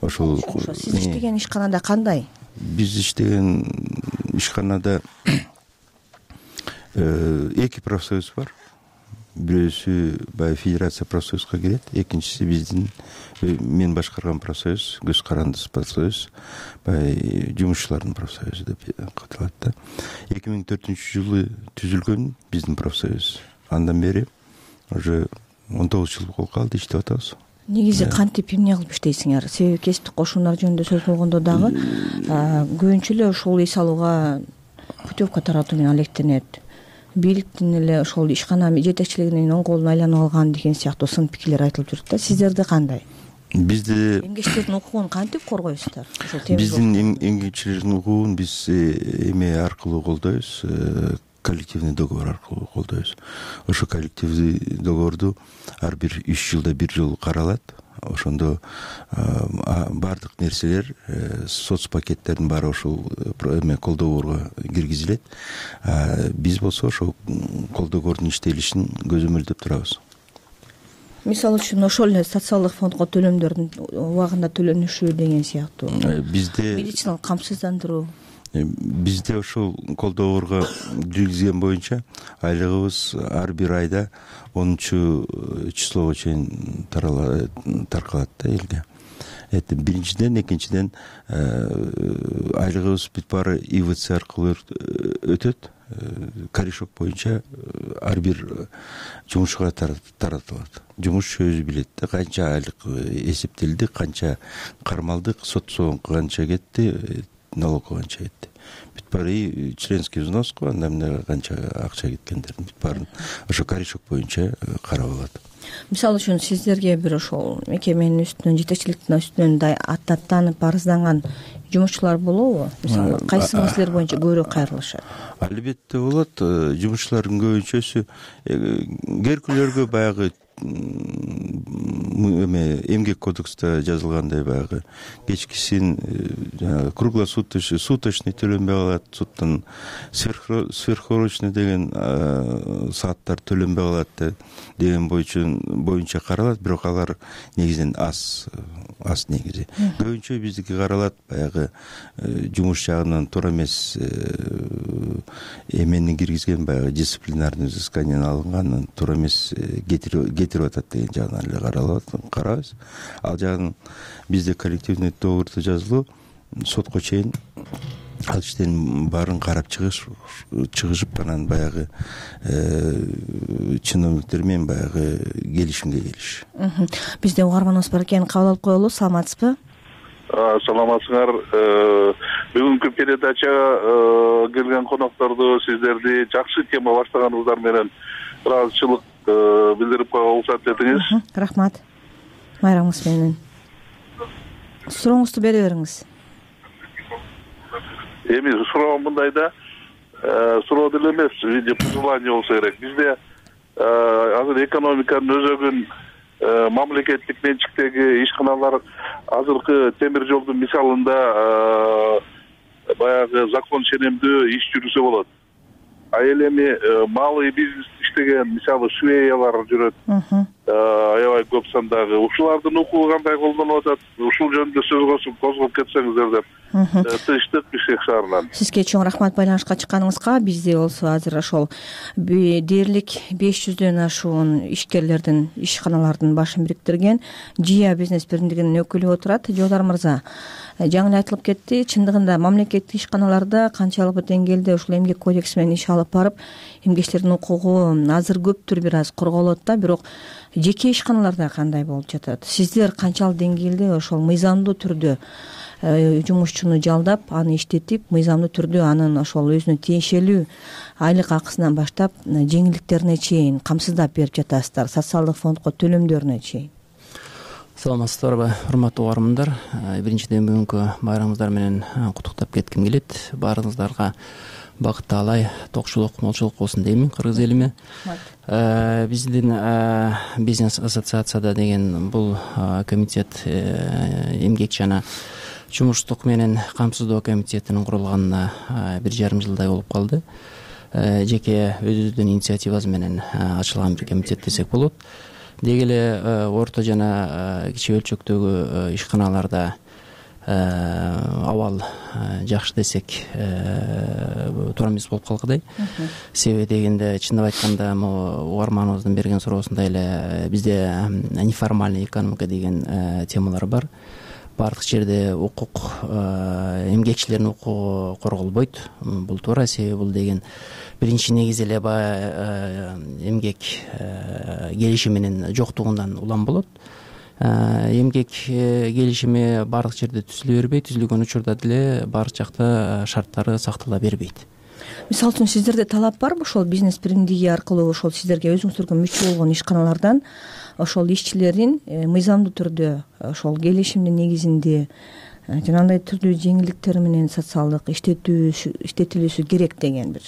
Ошол
сиз иштеген ишканада кандай?
Биз иштеген ишканада эки профсоюз бар. Бирөөсү баягы федерация профсоюзга кирет, экинчиси биздин мен башкарган профсоюз, көз карандысыз профсоюз, баягы жумушчулардын профсоюзу деп аталат да. 2004-жылы түзүлгөн биздин профсоюз. Андан бери уже 19 жыл болуп калды, иштеп атабыз.
Негизи кантип эмне кылып иштейсиңер? Себеби кесиптик кошуундар жөнүндө сөз болгондо дагы көбүнчө эле ушул эс алууга путевка таратуу менен алектенет. Бийликтин эле ошол ишкана жетекчилигинин оң колуна айланып алган деген сыяктуу сын пикирлер айтылып жүрөт да. Сиздерде кандай?
Бизде
эмгекчилердин укугун кантип коргойсуздар?
Биздин эмгекчилердин укугун биз эме аркылуу колдойбуз, коллективный договор аркылуу колдойбуз. Ошо коллективный договорду ар бир 3 жылда 1 жолу каралат. Ошондо баардык нерселер, соц пакеттердин баары ошол эме кол договорго киргизилет. Биз болсо ошол кол договордун иштелишин көзөмөлдөп турабыз.
Мисалы үчүн ошол эле социалдык фондко төлөмдөрдүн убагында төлөнүшү деген сыяктуу.
Бизде
медициналык камсыздандыруу.
Бизде ошол кол договорго киргизген боюнча айлыгыбыз ар бир айда 10-числого чейин таркалат да элге. Биринчиден, экинчиден айлыгыбыз бүт баары ИВЦ аркылуу өтөт. Корешок боюнча ар бир жумушчуга таратылат. Жумушчу өзү билет да, канча айлык эсептелди, канча кармалдык, сот соңку канча кетти, налог канча кетти. Бүт баары членский взноско, анда эмне канча акча кеткендерин бүт баарын ошо корешок боюнча карап алат.
Мисалы үчүн сиздерге бир ошол мекеменин үстүнөн, жетекчиликтин үстүнөн аттанып арызданган жумушчулар болобу? Мисалы кайсы маселелер боюнча көбүрөөк кайрылышат?
Албетте болот. Жумушчулардын көбүнчөсү керкүлөргө баягы эмгек кодекста жазылгандай баягы кечкисин жанагы круглосуточный, суточный төлөнбөй калат, суттан сверхурочный деген сааттар төлөнбөй калат деген боюнча каралат, бирок алар негизинен аз негизи. Көбүнчө биздики каралат баягы жумуш жагынан туура эмес эмени киргизген, баягы дисциплинарный взысканиянан алынган, туура эмес кетирип атат деген жагынан эле карабыз. Ал жагын бизде коллективный договорду жазылуу сотко чейин ал иштин баарын карап чыгышып анан баягы чиновниктер менен баягы келишимге келиш.
Бизде угарманыбыз бар экен, кабыл алып коелу. Саламатсызбы?
Саламатсыңар. Бүгүнкү передачага келген конокторду, сиздерди жакшы тема баштаганыңыздар менен ыраазычылык билдирип койгонго уруксат этиңиз.
Рахмат. Майрамыңыз менен. Сурооңузду бере бериңиз.
Эми суроом мындайда, суроо деле эмес, виде пожелание болсо керек. Бизде азыр экономиканын өзөгүн мамлекеттик менчиктеги ишканалар азыркы темир жолдун мисалында баягы закон ченемдүү иш жүрүсө болот. А эми малый бизнес иштеген мисалы швеялар жүрөт. Аябай көп сандагы. Ушулардын укугу кандай колдонулуп атат? Ушул жөнүндө сөз козгоп кетсеңиздер деп. Тыштык Бишкек шаарынан.
Сизге чоң рахмат байланышка чыкканыңызга. Бизде болсо азыр ошол дээрлик 500дөн ашуун ишкерлердин, ишканалардын башын бириктирген ЖИА бизнес биримдигинин өкүлү отурат. Жолдар мырза, жаңы эле айтылып кетти. Чындыгында мамлекеттик ишканаларда канчалык бир деңгээлде ушул эмгек кодекси менен иш алып барып, эмгекчилердин укугу азыр көптүр бир аз корголот да, бирок жеке ишканаларда кандай болуп жатат? Сиздер канчалык деңгээлде ошол мыйзамдуу түрдө жумушчуну жалдап, аны иштетип, мыйзамдуу түрдө анын ошол өзүнө тиешелүү айлык акысынан баштап жеңилдиктерине чейин камсыздап берип жатасыздар, социалдык фондко төлөмдөрүнө чейин?
Саламатсыздарбы, урматтуу угармандар. Биринчиден бүгүнкү байрамыңыздар менен куттуктап кетким келет. Баарыңыздарга бакыт таалай, токчулук, молчулук болсун деймин кыргыз элиме. Биздин бизнес ассоциацияда деген бул комитет эмгек жана жумуштук менен камсыздоо комитетинин курулганына 1,5 жылдай болуп калды. Жеке өзүбүздүн инициативабыз менен ачылган бир комитет десек болот. Деги эле орто жана кичи өлчөктөгү ишканаларда абал жакшы десек туура эмес болуп калгыдай. Себеби дегенде, чындап айтканда, угарманыбыздын берген суроосунда эле бизде неформальный экономика деген темалар бар. Бардык жерде укук, эмгекчилердин укугу корголбойт. Бул туура, себеби бул деген биринчи негизи эле эмгек келишими менен жоктугундан улам болот. Эмгек келишими бардык жерде түзүлө бербейт, түзүлгөн учурда деле бардык жакта шарттары сактала бербейт.
Мисалы үчүн сиздерде талап барбы ошол бизнес биримдиги аркылуу ошол сиздерге өзүңүздөргө мүчө болгон ишканалардан ошол ишчилердин мыйзамдуу түрдө ошол келишимдин негизинде жанагындай түрдүү жеңилдиктер менен социалдык иштетилүүсү керек деген бир?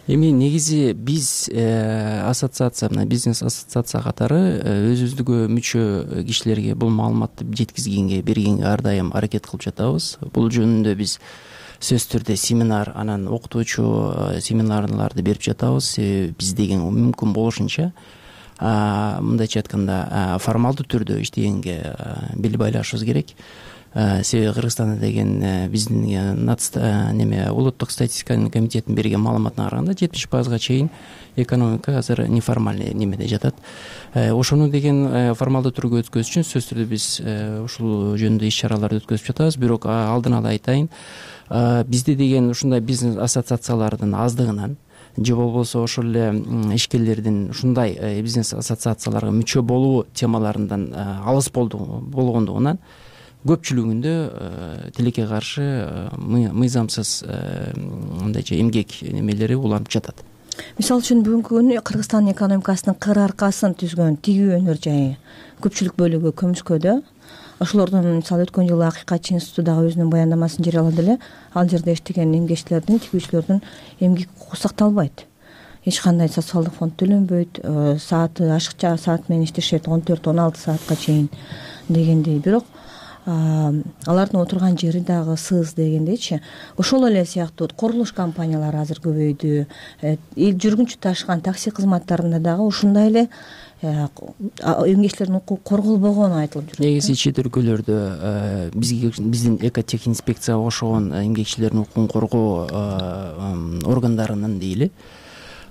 Эми негизи биз ассоциация, мына бизнес ассоциация катары өзүбүздүгө мүчө кишилерге бул маалыматты жеткизгенге, бергенге ар дайым аракет кылып жатабыз. Бул жөнүндө биз сөзсүз түрдө семинар, анан окутуучу семинарларды берип жатабыз. Биз деген мүмкүн болушунча мындайча айтканда формалдуу түрдө иштегенге бел байлашыбыз керек. Себеби Кыргызстанда деген биздин улуттук статистика комитетинин берген маалыматына караганда 70% чейин экономика азыр неформальный немеде жатат. Ошону деген формалдуу түргө өткөзүш үчүн сөзсүз түрдө биз ушул жөнүндө иш чараларды өткөзүп жатабыз. Бирок алдын ала айтайын, бизде деген ушундай бизнес ассоциациялардын аздыгынан же болбосо ошол эле ишкерлердин ушундай бизнес ассоциацияларга мүчө болуу темаларынан алыс болгондугунан көпчүлүгүндө тилекке каршы мыйзамсыз мындайча эмгек немелери уланып жатат.
Мисалы үчүн бүгүнкү күнү Кыргызстандын экономикасынын кыр аркасын түзгөн тигүү өнөр жайы көпчүлүк бөлүгү көмүскөдө. Ошолордун мисалы өткөн жылы Акыйкатчы институту дагы өзүнүн баяндамасын жарыялады эле. Ал жерде иштеген эмгекчилердин, тигүүчүлөрдүн эмгек укугу сакталбайт. Эч кандай социалдык фонд төлөнбөйт, сааты ашыкча саат менен иштешет, 14-16 саатка чейин дегендей. Бирок алардын отурган жери дагы сыз дегендейчи. Ошол эле сыяктуу курулуш компаниялары азыр көбөйдү. Жүргүнчү ташыган такси кызматтарында дагы ушундай эле эмгекчилердин укугу корголбогону айтылып жүрөт.
Негизи чет өлкөлөрдө биздин экотех инспекцияга кошулган эмгекчилердин укугун коргоо органдарынын дейли,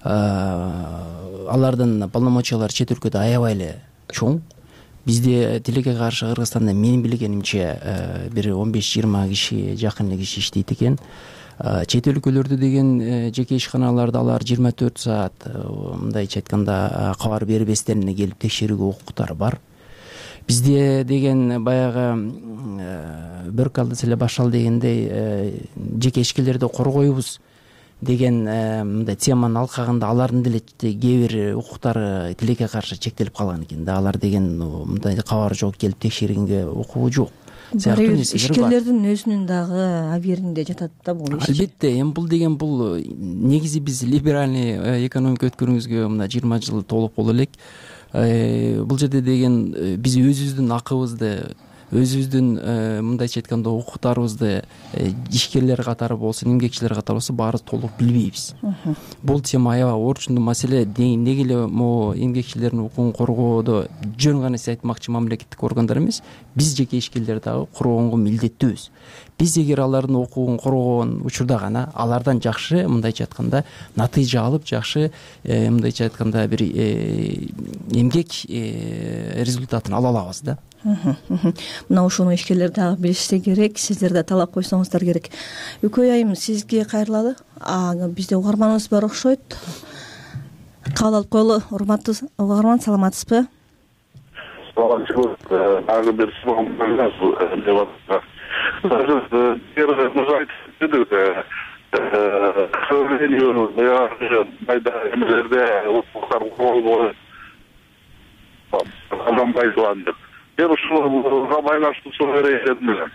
алардын полномочиялары чет өлкөдө аябай эле чоң. Бизде тилекке каршы Кыргызстанда менин билгенимче бир 15-20 киши, жакын эле киши иштейт экен. Чет өлкөлөрдө деген жеке ишканаларда алар 24 саат мындайча айтканда кабар бербестен эле келип текшерүүгө укуктары бар. Бизде деген баягы бөркалдыс эле башал дегендей жеке ишкерлерди коргойбуз деген мындай теманын алкагында алардын деле кээ бир укуктары тилекке каршы чектелип калган экен да. Алар деген мындай кабары жок, келип текшергенге укугу жок. сыяктуу нерселер бар.
Ишкерлердин өзүнүн дагы абийиринде жатат да бул иш.
Албетте, эми бул деген бул негизи биз либеральный экономика өткөрүүбүзгө мына 20 жыл толук боло элек. Бул жерде деген биз өзүбүздүн акыбызды, өзүбүздүн мындайча айтканда укуктарыбызды ишкерлер катары болсун, эмгекчилер катары болсун баары толук билбейбиз. Бул тема аябай орчундуу маселе. Неге эле могу эмгекчилердин укугун коргоодо жөн гана нерсе айтмакчы мамлекеттик органдар эмес, биз жеке ишкерлер дагы коргонго милдеттүүбүз. Биз эгер алардын укугун коргогон учурда гана алардан жакшы мындайча айтканда натыйжа алып, жакшы мындайча айтканда бир эмгек результатын ала алабыз да.
Мына ушуну ишкерлер дагы билишсе керек, сиздер да талап койсоңуздар керек. Үкөй айым, сизге кайрылалы. Бизде угарманыбыз бар окшойт. Кабыл алып коелу. Урматтуу угарман, саламатсызбы?
Саламатчылык. Дагы бир суроом бар. К сожалению, майда эмелерде укуктар корголбой адам пайдаланды. Мен ушуга байланыштуу суроо берейин элем.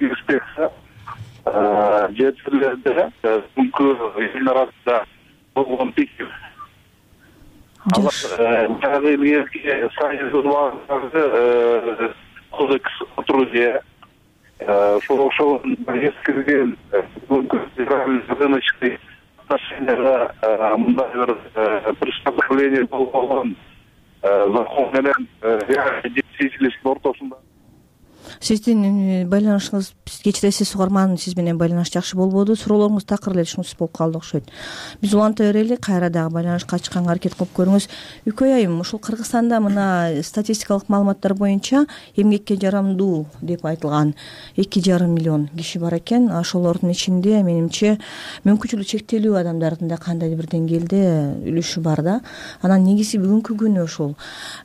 Инспекция жер жерлерде бүгүнкү элдин арасында болгон пикир. Баягы элге союз кодекс о труде ошол эскирген рыночный отношенияга мындай бир приспособление болгон закон менен действительностьтун ортосунда.
Сиздин байланышыңыз, кечиресиз угарман, сиз менен байланыш жакшы болбоду. Суроолоруңуз такыр эле түшүнүксүз болуп калды окшойт. Биз уланта берели, кайра дагы байланышка чыкканга аракет кылып көрүңүз. Үкөй айым, ушул Кыргызстанда мына статистикалык маалыматтар боюнча эмгекке жарамдуу деп айтылган 2,5 миллион киши бар экен. Ошолордун ичинде менимче мүмкүнчүлүгү чектелүү адамдардын да кандайдыр бир деңгээлде үлүшү бар да. Анан негизи бүгүнкү күнү ошол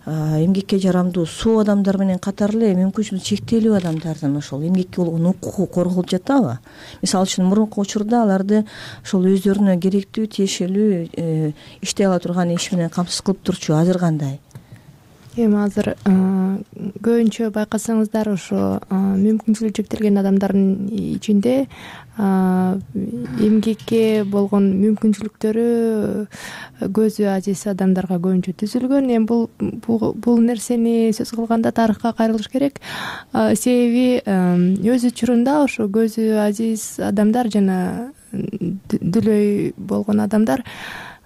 эмгекке жарамдуу суу адамдар менен катар эле мүмкүнчүлүгү чектелүү адамдардын ошол эмгекке болгон укугу корголуп жатабы? Мисалы үчүн мурунку учурда аларды ошол өздөрүнө керектүү, тиешелүү иштей ала турган иш менен камсыз кылып турчу. Азыр кандай?
Эми азыр көбүнчө байкасаңыздар ошо мүмкүнчүлүгү чектелген адамдардын ичинде эмгекке болгон мүмкүнчүлүктөрү көзү ажиз адамдарга көбүнчө түзүлгөн. Эми бул нерсени сөз кылганда тарыхка кайрылыш керек. Себеби өз учурунда ошо көзү ажиз адамдар жана дүлөй болгон адамдар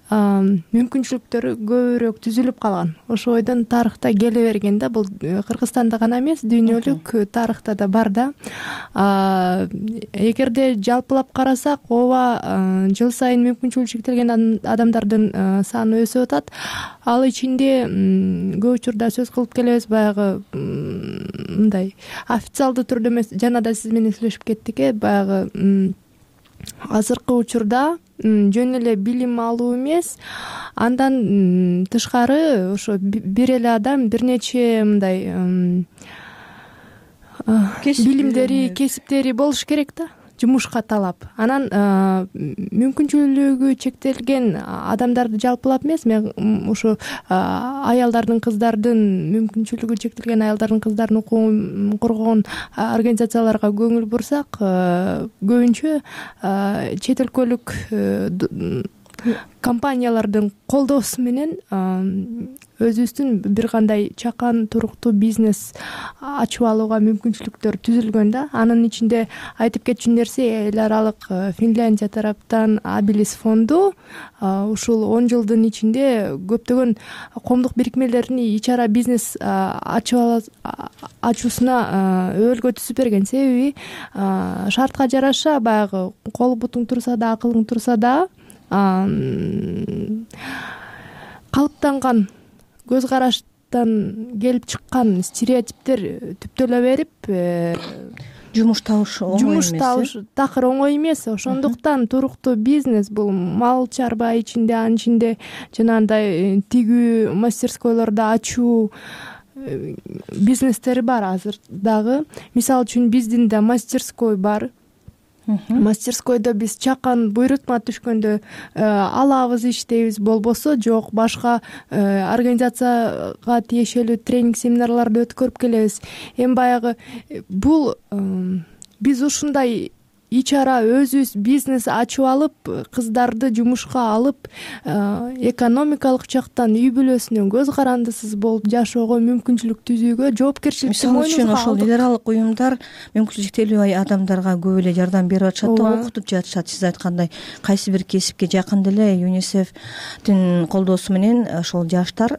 мүмкүнчүлүктөрү көбүрөөк түзүлүп калган. Ошойдон тарыхта келе берген да. Бул Кыргызстанда гана эмес, дүйнөлүк тарыхта да бар да. Эгерде жалпылап карасак, ооба, жыл сайын мүмкүнчүлүгү чектелген адамдардын саны өсүп атат. Ал ичинде көп учурда сөз кылып келебиз, баягы мындай официалдуу түрдө эмес, жана да сиз менен сүйлөшүп кеттик, баягы азыркы учурда жөн эле билим алуу эмес, андан тышкары ошо бир эле адам бир нече мындай билимдери, кесиптери болуш керек да, жумушка талап. Анан мүмкүнчүлүгү чектелген адамдарды жалпылап эмес, мен ушу аялдардын, кыздардын, мүмкүнчүлүгү чектелген аялдардын, кыздардын укугун коргогон организацияларга көңүл бурсак, көбүнчө чет өлкөлүк компаниялардын колдоосу менен өзүбүздүн бир кандай чакан туруктуу бизнес ачып алууга мүмкүнчүлүктөр түзүлгөн да. Анын ичинде айтып кетчү нерсе, эл аралык Финляндия тараптан Abilis фонду ушул 10 жылдын ичинде көптөгөн коомдук бирикмелердин ич ара бизнес ачуусуна өбөлгө түзүп берген. Себеби шартка жараша баягы кол бутуң турса да, акылың турса да, калыптанган көз караштан келип чыккан стереотиптер түптөлө берип,
жумуш табыш
такыр оңой эмес. Ошондуктан туруктуу бизнес бул мал чарба ичинде, анын ичинде жанагындай тигүү мастерскойлорду ачуу бизнестери бар азыр дагы. Мисалы үчүн биздин да мастерской бар. мастерскойдо биз чакан буйрутма түшкөндө алабыз, иштейбиз, болбосо жок башка организацияга тиешелүү тренинг семинарларды өткөрүп келебиз. Эми баягы бул биз ушундай ич ара өзүбүз бизнес ачып алып, кыздарды жумушка алып, экономикалык жактан үй бүлөсүнөн көз карандысыз болуп жашоого мүмкүнчүлүк түзүүгө жоопкерчиликти
мисалы үчүн ошол эл аралык уюмдар мүмкүнчүлүгү чектелүү адамдарга көп эле жардам берип атышат да, окутуп жатышат. Сиз айткандай кайсы бир кесипке жакын деле ЮНИСЕФтин колдоосу менен ошол жаштар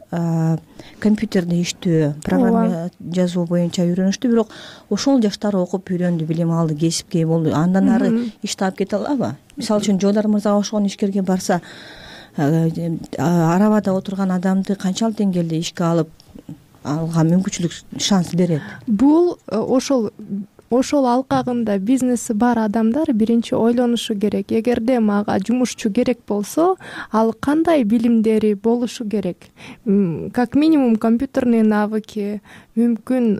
компьютерде иштөө, программа жазуу боюнча үйрөнүштү, бирок ошол жаштар окуп үйрөндү, билим алды, кесипке болду, андан ары иш таап кете алабы? Мисалы үчүн Жолдар мырзага окшогон ишкерге барса, арабада отурган адамды канчалык деңгээлде ишке алга мүмкүнчүлүк, шанс берет?
Бул ошол алкагында бизнеси бар адамдар биринчи ойлонушу керек. Эгерде мага жумушчу керек болсо, ал кандай билимдери болушу керек? Как минимум компьютерные навыки, мүмкүн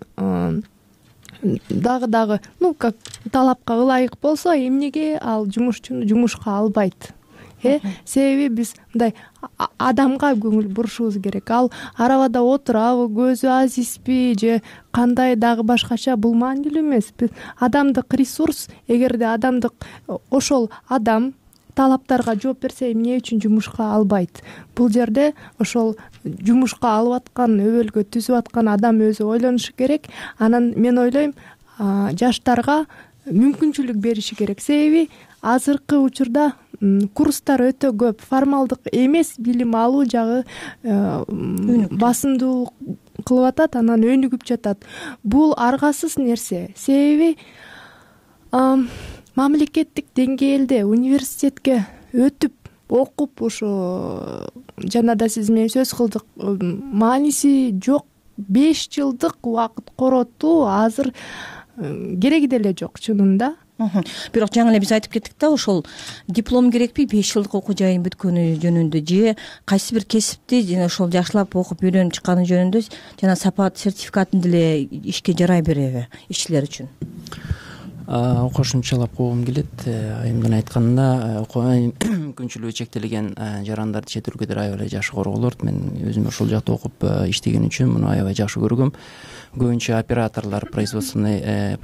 дагы как талапка ылайык болсо, эмнеге ал жумушчуну жумушка албайт? Себеби биз мындай адамга көңүл бурушубуз керек. Ал арабада отурабы, көзү азизби же кандай дагы башкача, бул маанилүү эмес. Адамдык ресурс, эгерде адамдык ошол адам талаптарга жооп берсе, эмне үчүн жумушка албайт? Бул жерде ошол жумушка алып аткан, өбөлгө түзүп аткан адам өзү ойлонушу керек. Анан мен ойлойм, жаштарга мүмкүнчүлүк бериши керек. Себеби азыркы учурда курстар өтө көп, формалдык эмес билим алуу жагы басымдуу кылып атат, анан өнүгүп жатат. Бул аргасыз нерсе. Себеби мамлекеттик деңгээлде университетке өтүп, окуп, ошо жана да сиз менен сөз кылдык, мааниси жок. 5 жылдык убакыт коротуу азыр кереги деле жок чынында.
Бирок жаңы эле биз айтып кеттик да, ошол диплом керекпи 5 жылдык окуу жайын бүткөнү жөнүндө, же кайсы бир кесипти жана ошол жакшылап окуп үйрөнүп чыкканы жөнүндө жана сапат сертификатын деле ишке жарай береби ишчилер үчүн?
Кошумчалап койгум келет. Айымдын айтканына мүмкүнчүлүгү чектелген жарандарды чет өлкөдө аябай эле жакшы корголот. Мен өзүм ошол жакта окуп иштеген үчүн муну аябай жакшы көргөм. Көбүнчө операторлор, производственный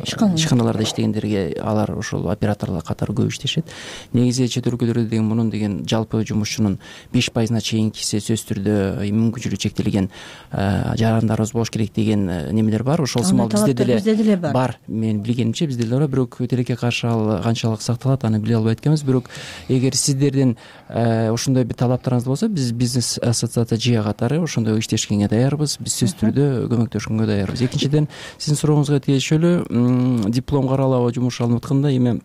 ишканаларда иштегендерге алар ошол операторлор катары көп иштешет. Негизи чет өлкөлөрдө деген мунун деген жалпы жумушчунун 5% чейинкиси сөзсүз түрдө мүмкүнчүлүгү чектелген жарандарыбыз болуш керек деген немелер бар. Ошол сымал бизде деле бар. Мен билгенимче бизде деле бар, бирок тилекке каршы ал канчалык сакталат, аны биле албайт экенбиз. Бирок эгер сиздердин ошондой бир талаптарыңыз болсо, биз бизнес ассоциация ЖИА катары ошондой иштешкенге даярбыз. Биз сөзсүз түрдө көмөктөшкөнгө даярбыз. Экинчиден, сиздин сурооңузга тиешелүү диплом каралабы жумуш алынып атканда, эми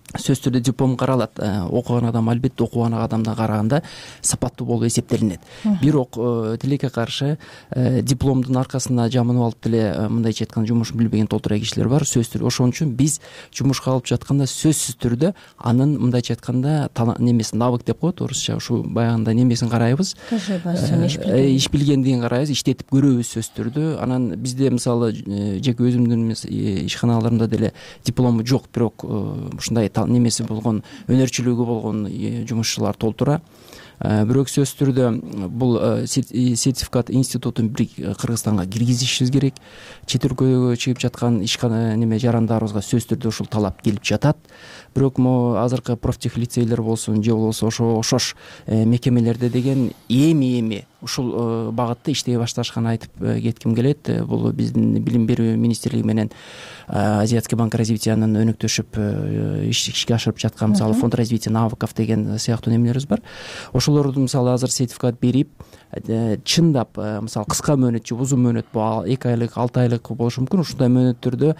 сөзсүз түрдө диплом каралат. Окуган адам албетте окуган адамдан караганда сапаттуу болуп эсептелинет. Бирок тилекке каршы дипломдун аркасына жамынып алып деле мындайча айтканда жумушун билбеген толтура кишилер бар. Сөзсүз түрдө ошон үчүн биз жумушка алып жатканда сөзсүз түрдө анын мындайча айтканда немесин, навык деп коет орусча, ушу баягындай немесин карайбыз. Иш билгендигин карайбыз, иштетип көрөбүз сөзсүз түрдө. Анан бизде мисалы жеке өзүмдүн ишканаларымда деле диплому жок, бирок ушундай немеси болгон, өнөрчүлүгү болгон жумушчулар толтура. Бирок сөзсүз түрдө бул сертификат институтун Кыргызстанга киргизишибиз керек. Чет өлкөгө чыгып жаткан ишкана неме жарандарыбызга сөзсүз түрдө ушул талап келип жатат. Бирок могу азыркы профтехлицейлер болсун же болбосо ошош мекемелерде деген эми ушул багытта иштей башташканын айтып кетким келет. Бул биздин билим берүү министрлиги менен Азиатский банк развитиянын өнөктөшүп ишке ашырып жаткан мисалы фонд развития навыков деген сыяктуу немелерибиз бар. Ошолорду мисалы азыр сертификат берип, чындап мисалы кыска мөөнөт же узун мөөнөт, бул 2 айлык 6 айлык болушу мүмкүн. Ушундай мөөнөттөрдө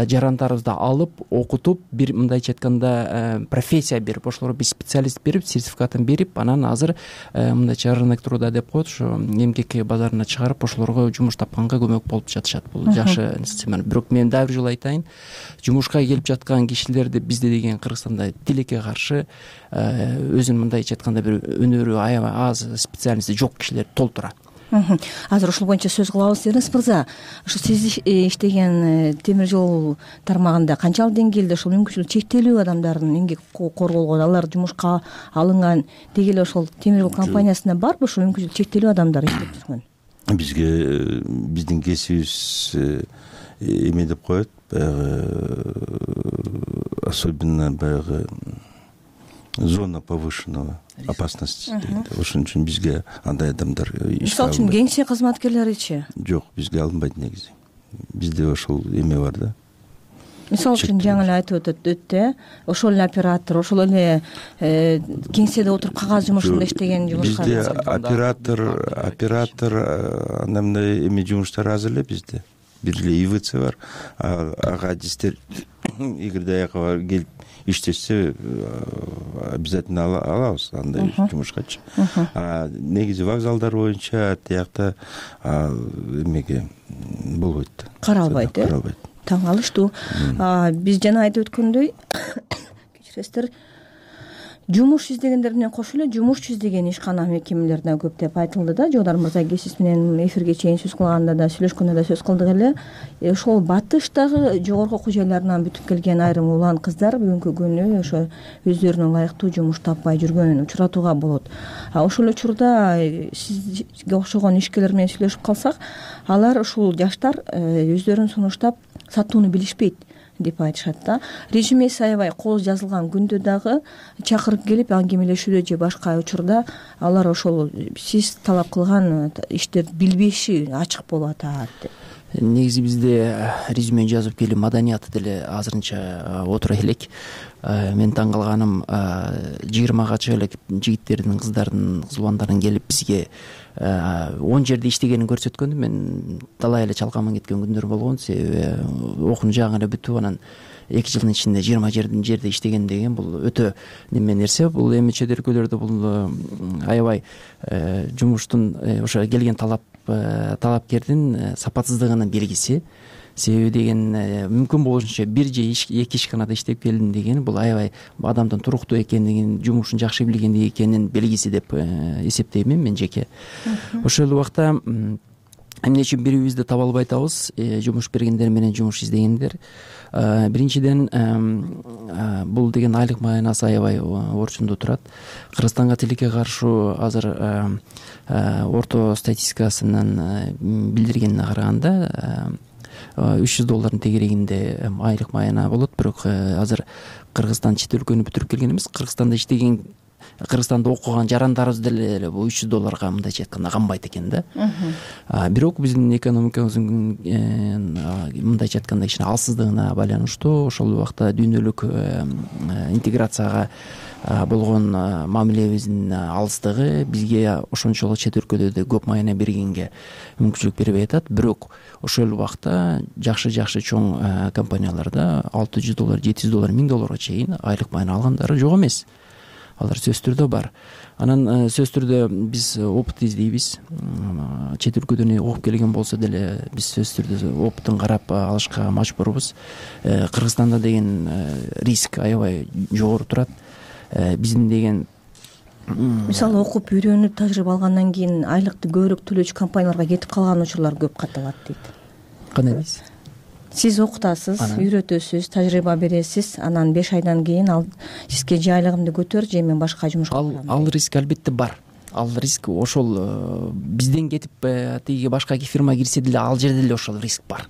жарандарыбызды алып, окутуп, бир мындайча айтканда профессия берип, ошолорго бир специалист берип, сертификатын берип, анан азыр мындайча рынок труда деп коет, ушу эмгек базарына чыгарып, ошолорго жумуш тапканга көмөк болуп жатышат. Бул жакшы система. Бирок мен дагы бир жолу айтайын, жумушка келип жаткан кишилерди бизде деген Кыргызстанда тилекке каршы өзүнүн мындайча айтканда бир өнөрү аябай аз, специальности жок кишилер толтура.
Азыр ушул боюнча сөз кылабыз. Эрнест мырза, ушу сиз иштеген темир жол тармагында канчалык деңгээлде ушул мүмкүнчүлүгү чектелүү адамдардын эмгек укугу корголгон, алар жумушка алынган деги эле ошол темир жол компаниясында барбы ушул мүмкүнчүлүгү чектелүү адамдар иштеп жүргөн?
Бизге биздин кесибибиз эме деп коет, баягы особенно баягы зона повышенного опасности дейт. Ошон үчүн бизге андай адамдар
мисалы үчүн кеңсе кызматкерлеричи?
Жок, бизге алынбайт негизи. Бизде ошол эме бар да.
Мисалы үчүн жаңы эле айтып өттү, ошол эле оператор, ошол эле кеңседе отуруп кагаз жумушунда иштеген жумушкар.
Бизде оператор андай мындай эме жумуштар аз эле бизде. Бир эле ИВЦ бар. Ага адистер эгерде аяка келип иштешсе обязательно алабыз андай жумушкачы. Негизи вокзалдар боюнча тиякта эмеге болбойт.
Каралбайт.
Каралбайт.
Таң калыштуу. Биз жана айтып өткөндөй, кечиресиздер, жумуш издегендер менен кошо эле жумушчу издеген ишкана мекемелерде көп деп айтылды да. Жогдар мырза сиз менен эфирге чейин сөз кылганда да, сүйлөшкөндө да сөз кылдык эле. Ошол батыштагы жогорку окуу жайларынан бүтүп келген айрым улан кыздар бүгүнкү күнү ошо өздөрүнө ылайыктуу жумуш таппай жүргөнүн учуратууга болот. Ошол учурда сизге окшогон ишкерлер менен сүйлөшүп калсак, алар ушул жаштар өздөрүн сунуштап сатууну билишпейт деп айтышат да. Режимеси аябай кооз жазылган күндө дагы чакырып келип аңгемелешүүдө же башка учурда алар ошол сиз талап кылган иштерди билбеши ачык болуп атат деп.
Негизи бизде резюме жазып келүү маданияты деле азырынча отура элек. Мен таң калганым 20га чыга элек жигиттердин, кыздардын, кыз уландардын келип бизге 10 жерде иштегенин көрсөткөндө мен талай эле чалкаман кеткен күндөр болгон. Себеби окуну жаңы эле бүтүп анан 2 жылдын ичинде 20 жерде иштеген деген бул өтө неме нерсе. Бул эми чет өлкөлөрдө бул аябай жумуштун ошо келген талапкердин сапатсыздыгынын белгиси. Себеби деген мүмкүн болушунча бир же 2 ишканада иштеп келдим деген бул аябай адамдын туруктуу экендигин, жумушун жакшы билгендиги экенин белгиси деп эсептейм мен жеке. Ошол убакта эмне үчүн бирибизди таба албай атабыз, жумуш бергендер менен жумуш издегендер. Биринчиден бул деген айлык маянасы аябай орчундуу турат. Кыргызстанга тилекке каршы азыр орто статистикасынан билдиргенине караганда $300 тегерегинде айлык маяна болот. Бирок азыр Кыргызстан чет өлкөнү бүтүрүп келген эмес. Кыргызстанда иштеген, Кыргызстанда окуган жарандарыбыз деле бул $300 мындайча айтканда камбайт экен да. Бирок биздин экономикабыздын мындайча айтканда кичине алсыздыгына байланыштуу ошол убакта дүйнөлүк интеграцияга болгон мамилебиздин алыстыгы бизге ошончолук чет өлкөдө көп маяна бергенге мүмкүнчүлүк бербей атат. Бирок ошол убакта жакшы чоң компанияларда $600, $700, $1000 чейин айлык маяна алгандары жок эмес. Алар сөзсүз түрдө бар. Анан сөзсүз түрдө биз опыт издейбиз. Чет өлкөдөн окуп келген болсо деле биз сөзсүз түрдө опытын карап алышка мажбурбуз. Кыргызстанда деген риск аябай жогору турат. Биздин деген
мисалы окуп үйрөнүп тажрыйба алгандан кийин айлыкты көбүрөөк төлөөчү компанияларга кетип калган учурлар көп катталат дейт.
Кандай дейсиз?
Сиз окутасыз, үйрөтөсүз, тажрыйба бересиз, анан 5 айдан кийин ал сизге же айлыгымды көтөр, же мен башка жумушка барам.
Ал риск албетте бар. Ал риск ошол бизден кетип тиги башка фирма кирсе деле ал жерде деле ошол риск бар.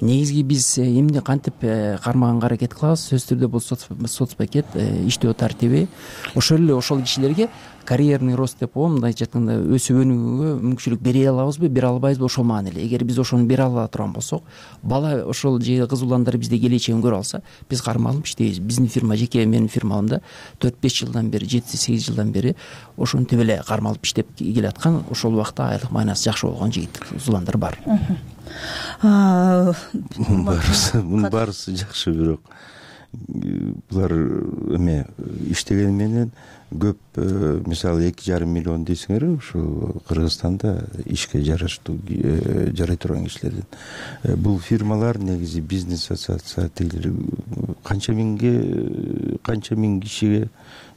Негизги биз эмне кантип кармаганга аракет кылабыз? Сөзсүз түрдө бул соцпакет, иштөө тартиби ошол эле ошол кишилерге карьерный рост деп коем, мындайча айтканда өсүп өнүүгө мүмкүнчүлүк бере алабызбы, бере албайбызбы, ошол маанилүү. Эгер биз ошону бере ала турган болсок, бала ошол же кыз уландар бизде келечегин көрө алса, биз кармалып иштейбиз. Биздин фирма, жеке менин фирмамда 4-5 жылдан бери, 7-8 жылдан бери ошентип эле кармалып иштеп келаткан, ошол убакта айлык маанасы жакшы болгон жигит уландар бар.
Мунун баарысы жакшы, бирок булар эме иштеген менен көп мисалы 2,5 миллион дейсиңерби ушул Кыргызстанда ишке жараштуу жарай турган кишилерден. Бул фирмалар негизи бизнес ассоциациялар канча миң кишиге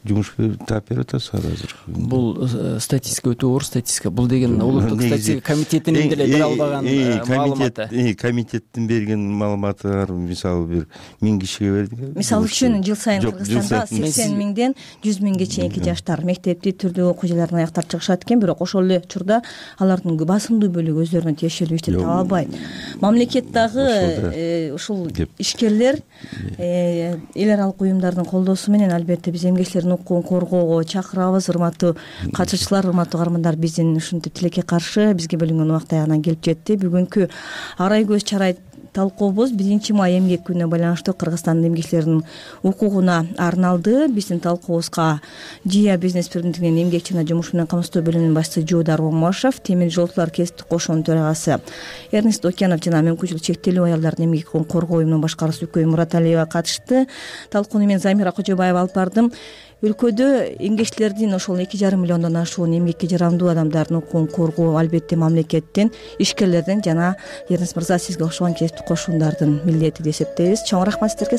жумуш таап берип атасызар азыр?
Бул статистика өтө оор статистика. Бул деген улуттук статистика комитетинин деле бере албаган маалыматы.
Комитеттин берген маалыматы мисалы бир 1000 кишиге бердик.
Мисалы үчүн жыл сайын Кыргызстанда 80 миңден 100 миңге чейинки жаштар мектепти түрдүү окуу жайларын аяктап чыгышат экен, бирок ошол эле учурда алардын басымдуу бөлүгү өздөрүнө тиешелүү ишти таба албайт. Мамлекет дагы ушул ишкерлер эл аралык уюмдардын колдоосу менен албетте биз эмгечилердин укугун коргоого чакырабыз. Урматтуу катышуучулар, урматтуу каармандар, биздин ушинтип тилекке каршы бизге бөлүнгөн убакыт аягына келип жетти. Бүгүнкү арай көз чарай талкуубуз 1 май эмгек күнүнө байланыштуу Кыргызстандын эмгечилеринин укугуна арналды. Биздин талкуубузга Жия бизнес биримдигинин эмгек жана жумуш менен камсыздоо бөлүмүнүн башчысы Жуудар Омашев, Темир жолчулар кесиптик кошуунун төрагасы Эрнест Окенов жана мүмкүнчүлүгү чектелүү аялдардын эмгек укугун коргоо уюмунун башкаруучусу Үкөй Мураталиева катышты. Талкууну мен Замира Кожобаева алып бардым. Өлкөдө эмгечилердин ошол 2,5 миллиондон ашуун эмгекке жарамдуу адамдардын укугун коргоо албетте мамлекеттин, ишкерлердин жана Эрнест мырза сизге окшогон кесиптик кошуундардын милдети деп эсептейбиз. Чоң рахмат сиздерге.